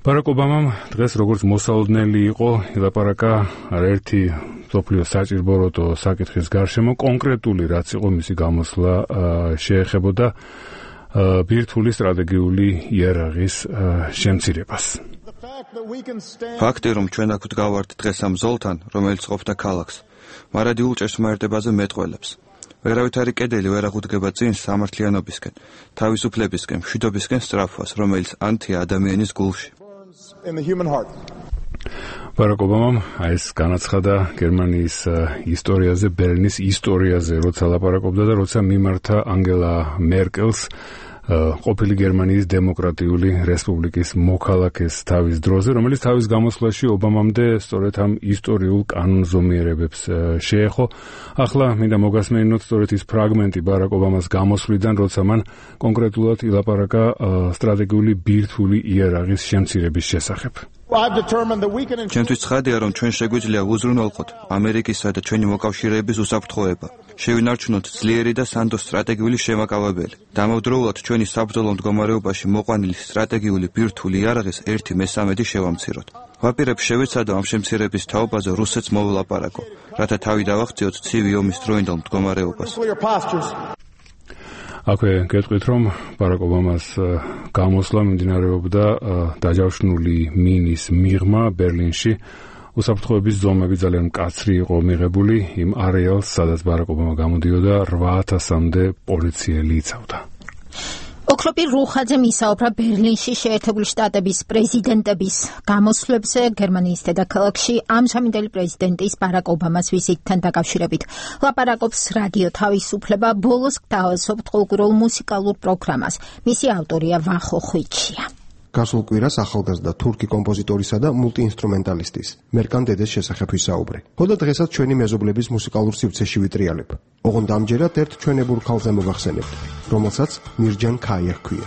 ბარაკ ობამამ დღეს როგორც მოსალოდნელი იყო, ილაპარაკა არაერთი მსოფლიო საჭირბოროტო საკითხის გარშემო, კონკრეტული რაც იყო მისი გამოსვლა შეეხებოდა ბირთვული სტრატეგიული იარაღის შემცირებას. ფაქტი, რომ ჩვენ აქ ვდგავართ დღეს ამ ზოლთან, რომელიც ყოფდა ქალაქს, მარადიულ ჭეშმარიტებაზე მეტყველებს. ვერავითარი კედელი ვერ აღუდგება წინ სამართლიანობისკენ, თავისუფლებისკენ, მშვიდობისკენ სწრაფვას, რომელიც ანთია ადამიანის გულში. ბარაკ ობამამ ეს განაცხადა გერმანიის ისტორიაზე, ბერლინის ისტორიაზე, როცა ლაპარაკობდა და როცა მიმართა ანგელა მერკელს, ყოფილი გერმანიის დემოკრატიული რესპუბლიკის მოქალაქეს თავის დროზე, რომელიც თავის გამოსვლაში ობამამდე სწორედ ამ ისტორიულ კანონზომიერებებს შეეხო. ახლა მინდა მოგასმენინოთ სწორედ ის ფრაგმენტი ბარაკ ობამას გამოსვლიდან, როცა მან კონკრეტულად ილაპარაკა სტრატეგიული ბირთვული იარაღის შემცირების შესახებ. ჩვენთვის ცხადია, რომ ჩვენ შეგვიძლია უზრუნველყოთ ამერიკისა და ჩვენი მოკავშირეების უსაფრთხოება. შევინარჩუნოთ ძლიერი და სანდო სტრატეგიული შემაკავებელი. დამავდროულად ჩვენი საბრძოლო მდგომარეობაში მოყვანილი სტრატეგიული ბირთვული იარაღის 1/3 შევამციროთ. ვაპირებ შევეცადო ამ შემცირების თაობაზე რუსეთს მოვლაპარაკო, რათა თავი დავახციოთ ცივი ომის დროინდელ მდგომარეობას. აქვე გეტყვით, რომ ბარაკ ობამას გამოსვლა მიმდინარეობდა დაჯავშნული მინის მიღმა ბერლინში. უსაფრთხოების ზომები ძალიან მკაცრი იყო მიღებული იმ არეალს, სადაც ბარაკ ობამა გამოდიოდა, 8000-მდე პოლიციელი იცავდა. ოქროპირ რუხაძემ ისაუბრა ბერლინში შეერთებული შტატების პრეზიდენტების გამოსვლებზე გერმანიის დედაქალაქში ამჟამინდელი პრეზიდენტის ბარაკ ობამას ვიზიტთან დაკავშირებით. ლაპარაკობს რადიო თავისუფლება ბოლოს გთავაზობთ ყოველკვირეულ მუსიკალურ პროგრამას. მისი ავტორია ვახო ხვიჩია. გასულ კვირას ახალგაზრდა თურქი კომპოზიტორისა და მულტიინსტრუმენტალისტის მერკან დედეს შესახებ ვისაუბრე. ხოდა დღესაც ჩვენი მეზობლების მუსიკალურ სივრცეში ვიტრიალებ. ოღონდ ამჯერად ერთ ჩვენებურ ქალზე მოვახსენებთ, რომელსაც მირჯან ქაია ჰქვია.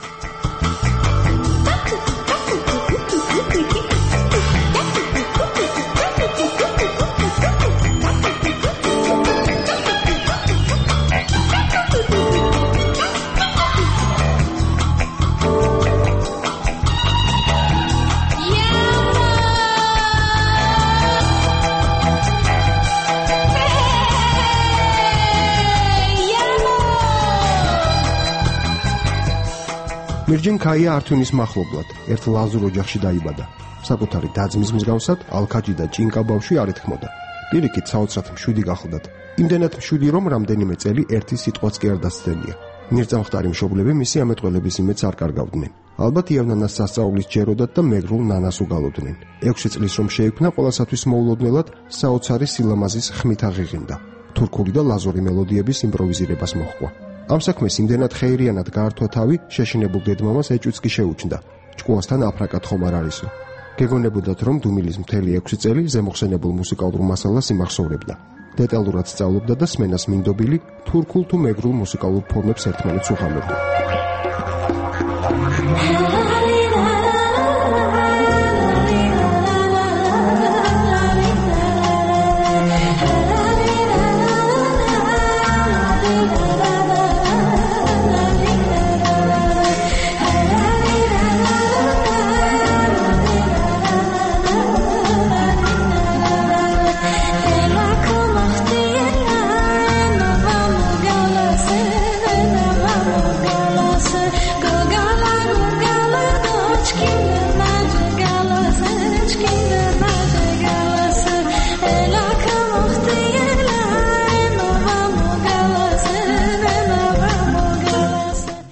მირჯან ქაია ართვინის მახლობლად ერთ ლაზურ ოჯახში დაიბადა. საკუთარი დაძმის მსგავსად ალქაჯი და ჭინკა ბავშვი არ ეთქმოდა. პირიქით საოცრად მშვიდი გახლდათ. იმდენად მშვიდი, რომ რამდენიმე წელი ერთი სიტყვაც კი არ დასცდენია. მირწამხდარი მშობლები მისი ამეტყველების იმედს არ კარგავდნენ. ალბათ იავნანას სასწაულის ჯეროდათ და მეგრულ ნანას უგალოდნენ. 6 წლის რომ შეიქმნა, ყველასათვის მოულოდნელად საოცარი სილამაზის ხმით აღიღინდა. თურქული და ლაზური მელოდიების იმპროვიზირებას მოჰყვა. ამ საქმეს იმდენად ხეირიანად გაართვა თავი, შეშინებულ დედმამას ეჭვიც კი შეუჩნდა. ჭკუასთან აფრაკად ხომ არ არისო. გეგონებოდათ, რომ დუმილის მთელი 6 წელი ზემოხსენებულ მუსიკალურ მასალას იმახსოვრებდა. დეტალურად სწავლობდა და სმენას მინდობილი თურქულ თუ მეგრულ მუსიკალურ ფორმებს ერთმანეთს უღამებდა.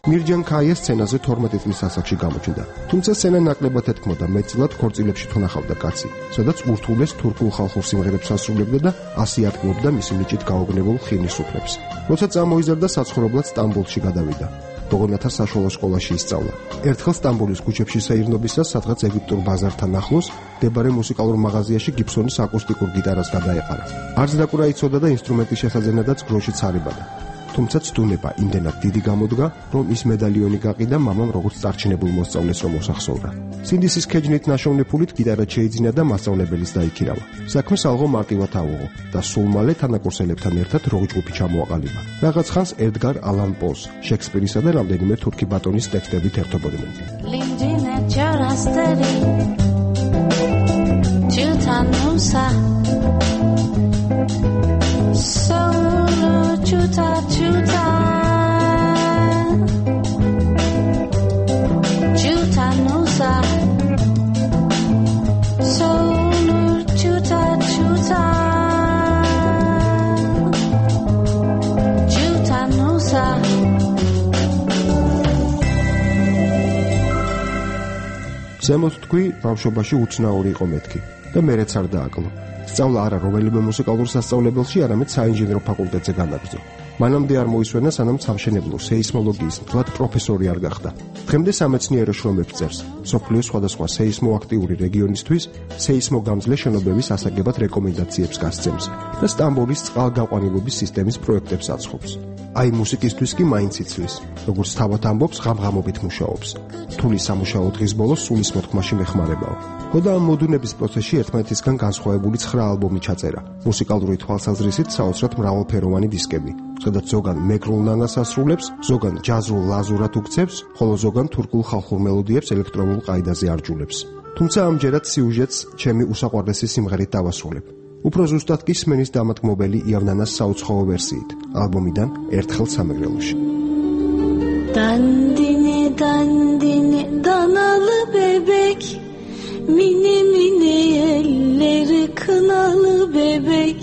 მირჯან ქაია სცენაზე 12 წლის ასაკში გამოჩნდა. თუმცა სცენა ნაკლებად ეთქმოდა მეტწილად ქორწილებში თუ ნახავდა კაცი, სადაც ურთულეს თურქულ ხალხურ სიმღერებს ასრულებდა და ასე ატყუებდა მისი ნიჭით გაოგნებულ ხინის უფლებს. როცა წამოიზარდა, საცხოვრებლად სტამბოლში გადავიდა. ბოგონათა საშუალო სკოლაში ისწავლა. ერთხელ სტამბოლის ქუჩებში საირნობისას, სადღაც ეგვიპტურ ბაზართან ახლოს, მდებარე მუსიკალურ მაღაზიაში გიბსონის აკუსტიკურ გიტარას გადაეყარა. არც დაკვრა იცოდა და ინსტრუმენტის შესაძენადაც გროშიც არ ებადა. თუმცა ცდუნება იმდენად დიდი გამოდგა, რომ ის მედალიონი გაყიდა მამამ როგორც წარჩინებულ მოსწავლეს რომ მოსახსოვრა. სინდისის ქეჯნით ნაშოვნი ფულით გიტარა შეიძინა და მასწავლებლის დაიქირავა. საქმე ალღო მარტივად აუღო და სულ მალე თანაკურსელებთან ერთად როგი-ჯგუფი ჩამოაყალიბა. რაღაც ხანს ედგარ ალან პოს, შექსპირისა და რამდენიმე თურქი ბატონის ტექსტებით ერთობოდნენ. ზემოთ თქვი, ბავშვობაში უცნაური იყო მეთქი და მერეც არ დააკლო. სწავლა არა რომელიმე მუსიკალურ სასწავლებელში, არამედ საინჟინრო ფაკულტეტზე განაგრძო. მანამდე არ მოისვენა, სანამ სამშენებლო სეისმოლოგიის მთლად პროფესორი არ გახდა. დღემდე სამეცნიერო შრომებს წერს. მსოფლიოს სხვადასხვა სეისმოაქტიური რეგიონისთვის სეისმოგამძლე შენობების ასაგებად რეკომენდაციებს გასცემს და სტამბოლის წყალგაყვანილობის სისტემის პროექტებს აწყობს. აი მუსიკისთვის კი მაინც იცლის, როგორც თავად ამბობს, ღამღამობით მუშაობს. რთული სამუშაო დღის ბოლოს სულის მოთქმაში მეხმარებაო. ხოდა ამ მოდუნების პროცესში ერთმანეთისგან განსხვავებული 9 ალბომი ჩაწერა. მუსიკალური თვალსაზრისით საოცრად მრავალფეროვანი დისკები, სადაც ზოგან მეგრულ ნანას ასრულებს, ზოგან ჯაზრულ ლაზურად უქცევს, ხოლო ზოგან თურქულ ხალხურ მელოდიებს ელექტრონულ ყაიდაზე არჯულებს. თუმცა ამჯერად სიუჟეტს ჩემი უსაყვარლესი სიმღერით დავასრულებ. უფრო ზუსტად კი სმენის დამატკმობელი იავნანას საუცხოო ვერსიით, ალბომიდან ერთხელ სამეგრელოში. Dandini dandini danalı bebek, mini mini elleri kınalı bebek,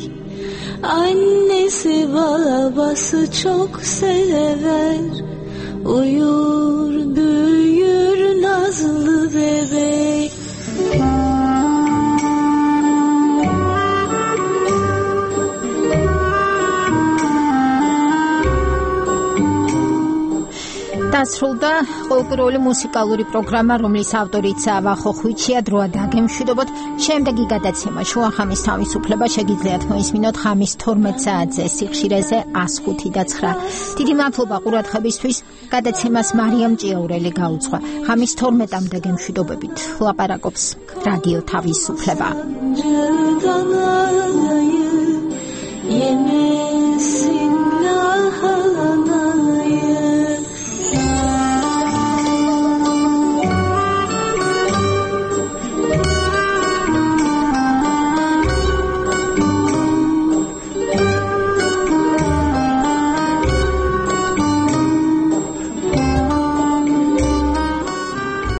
annesi babası çok sever, uyur büyür nazlı bebek. დასრულდა ყოველკვირეული მუსიკალური პროგრამა, რომლის ავტორიც ვახო ხვიჩია. დროა დაგემშვიდობოთ. შემდეგი გადაცემა შუახამის თავისუფლება შეგიძლიათ მოისმინოთ ხამის 12 საათზე სიხშირეზე 105.9. დიდი მადლობა ყურადღებისთვის. გადაცემას მარიამ ჭიაურელი გაუძღვა. ხამის 12-მდე გემშვიდობებით. ლაპარაკობს რადიო თავისუფლება.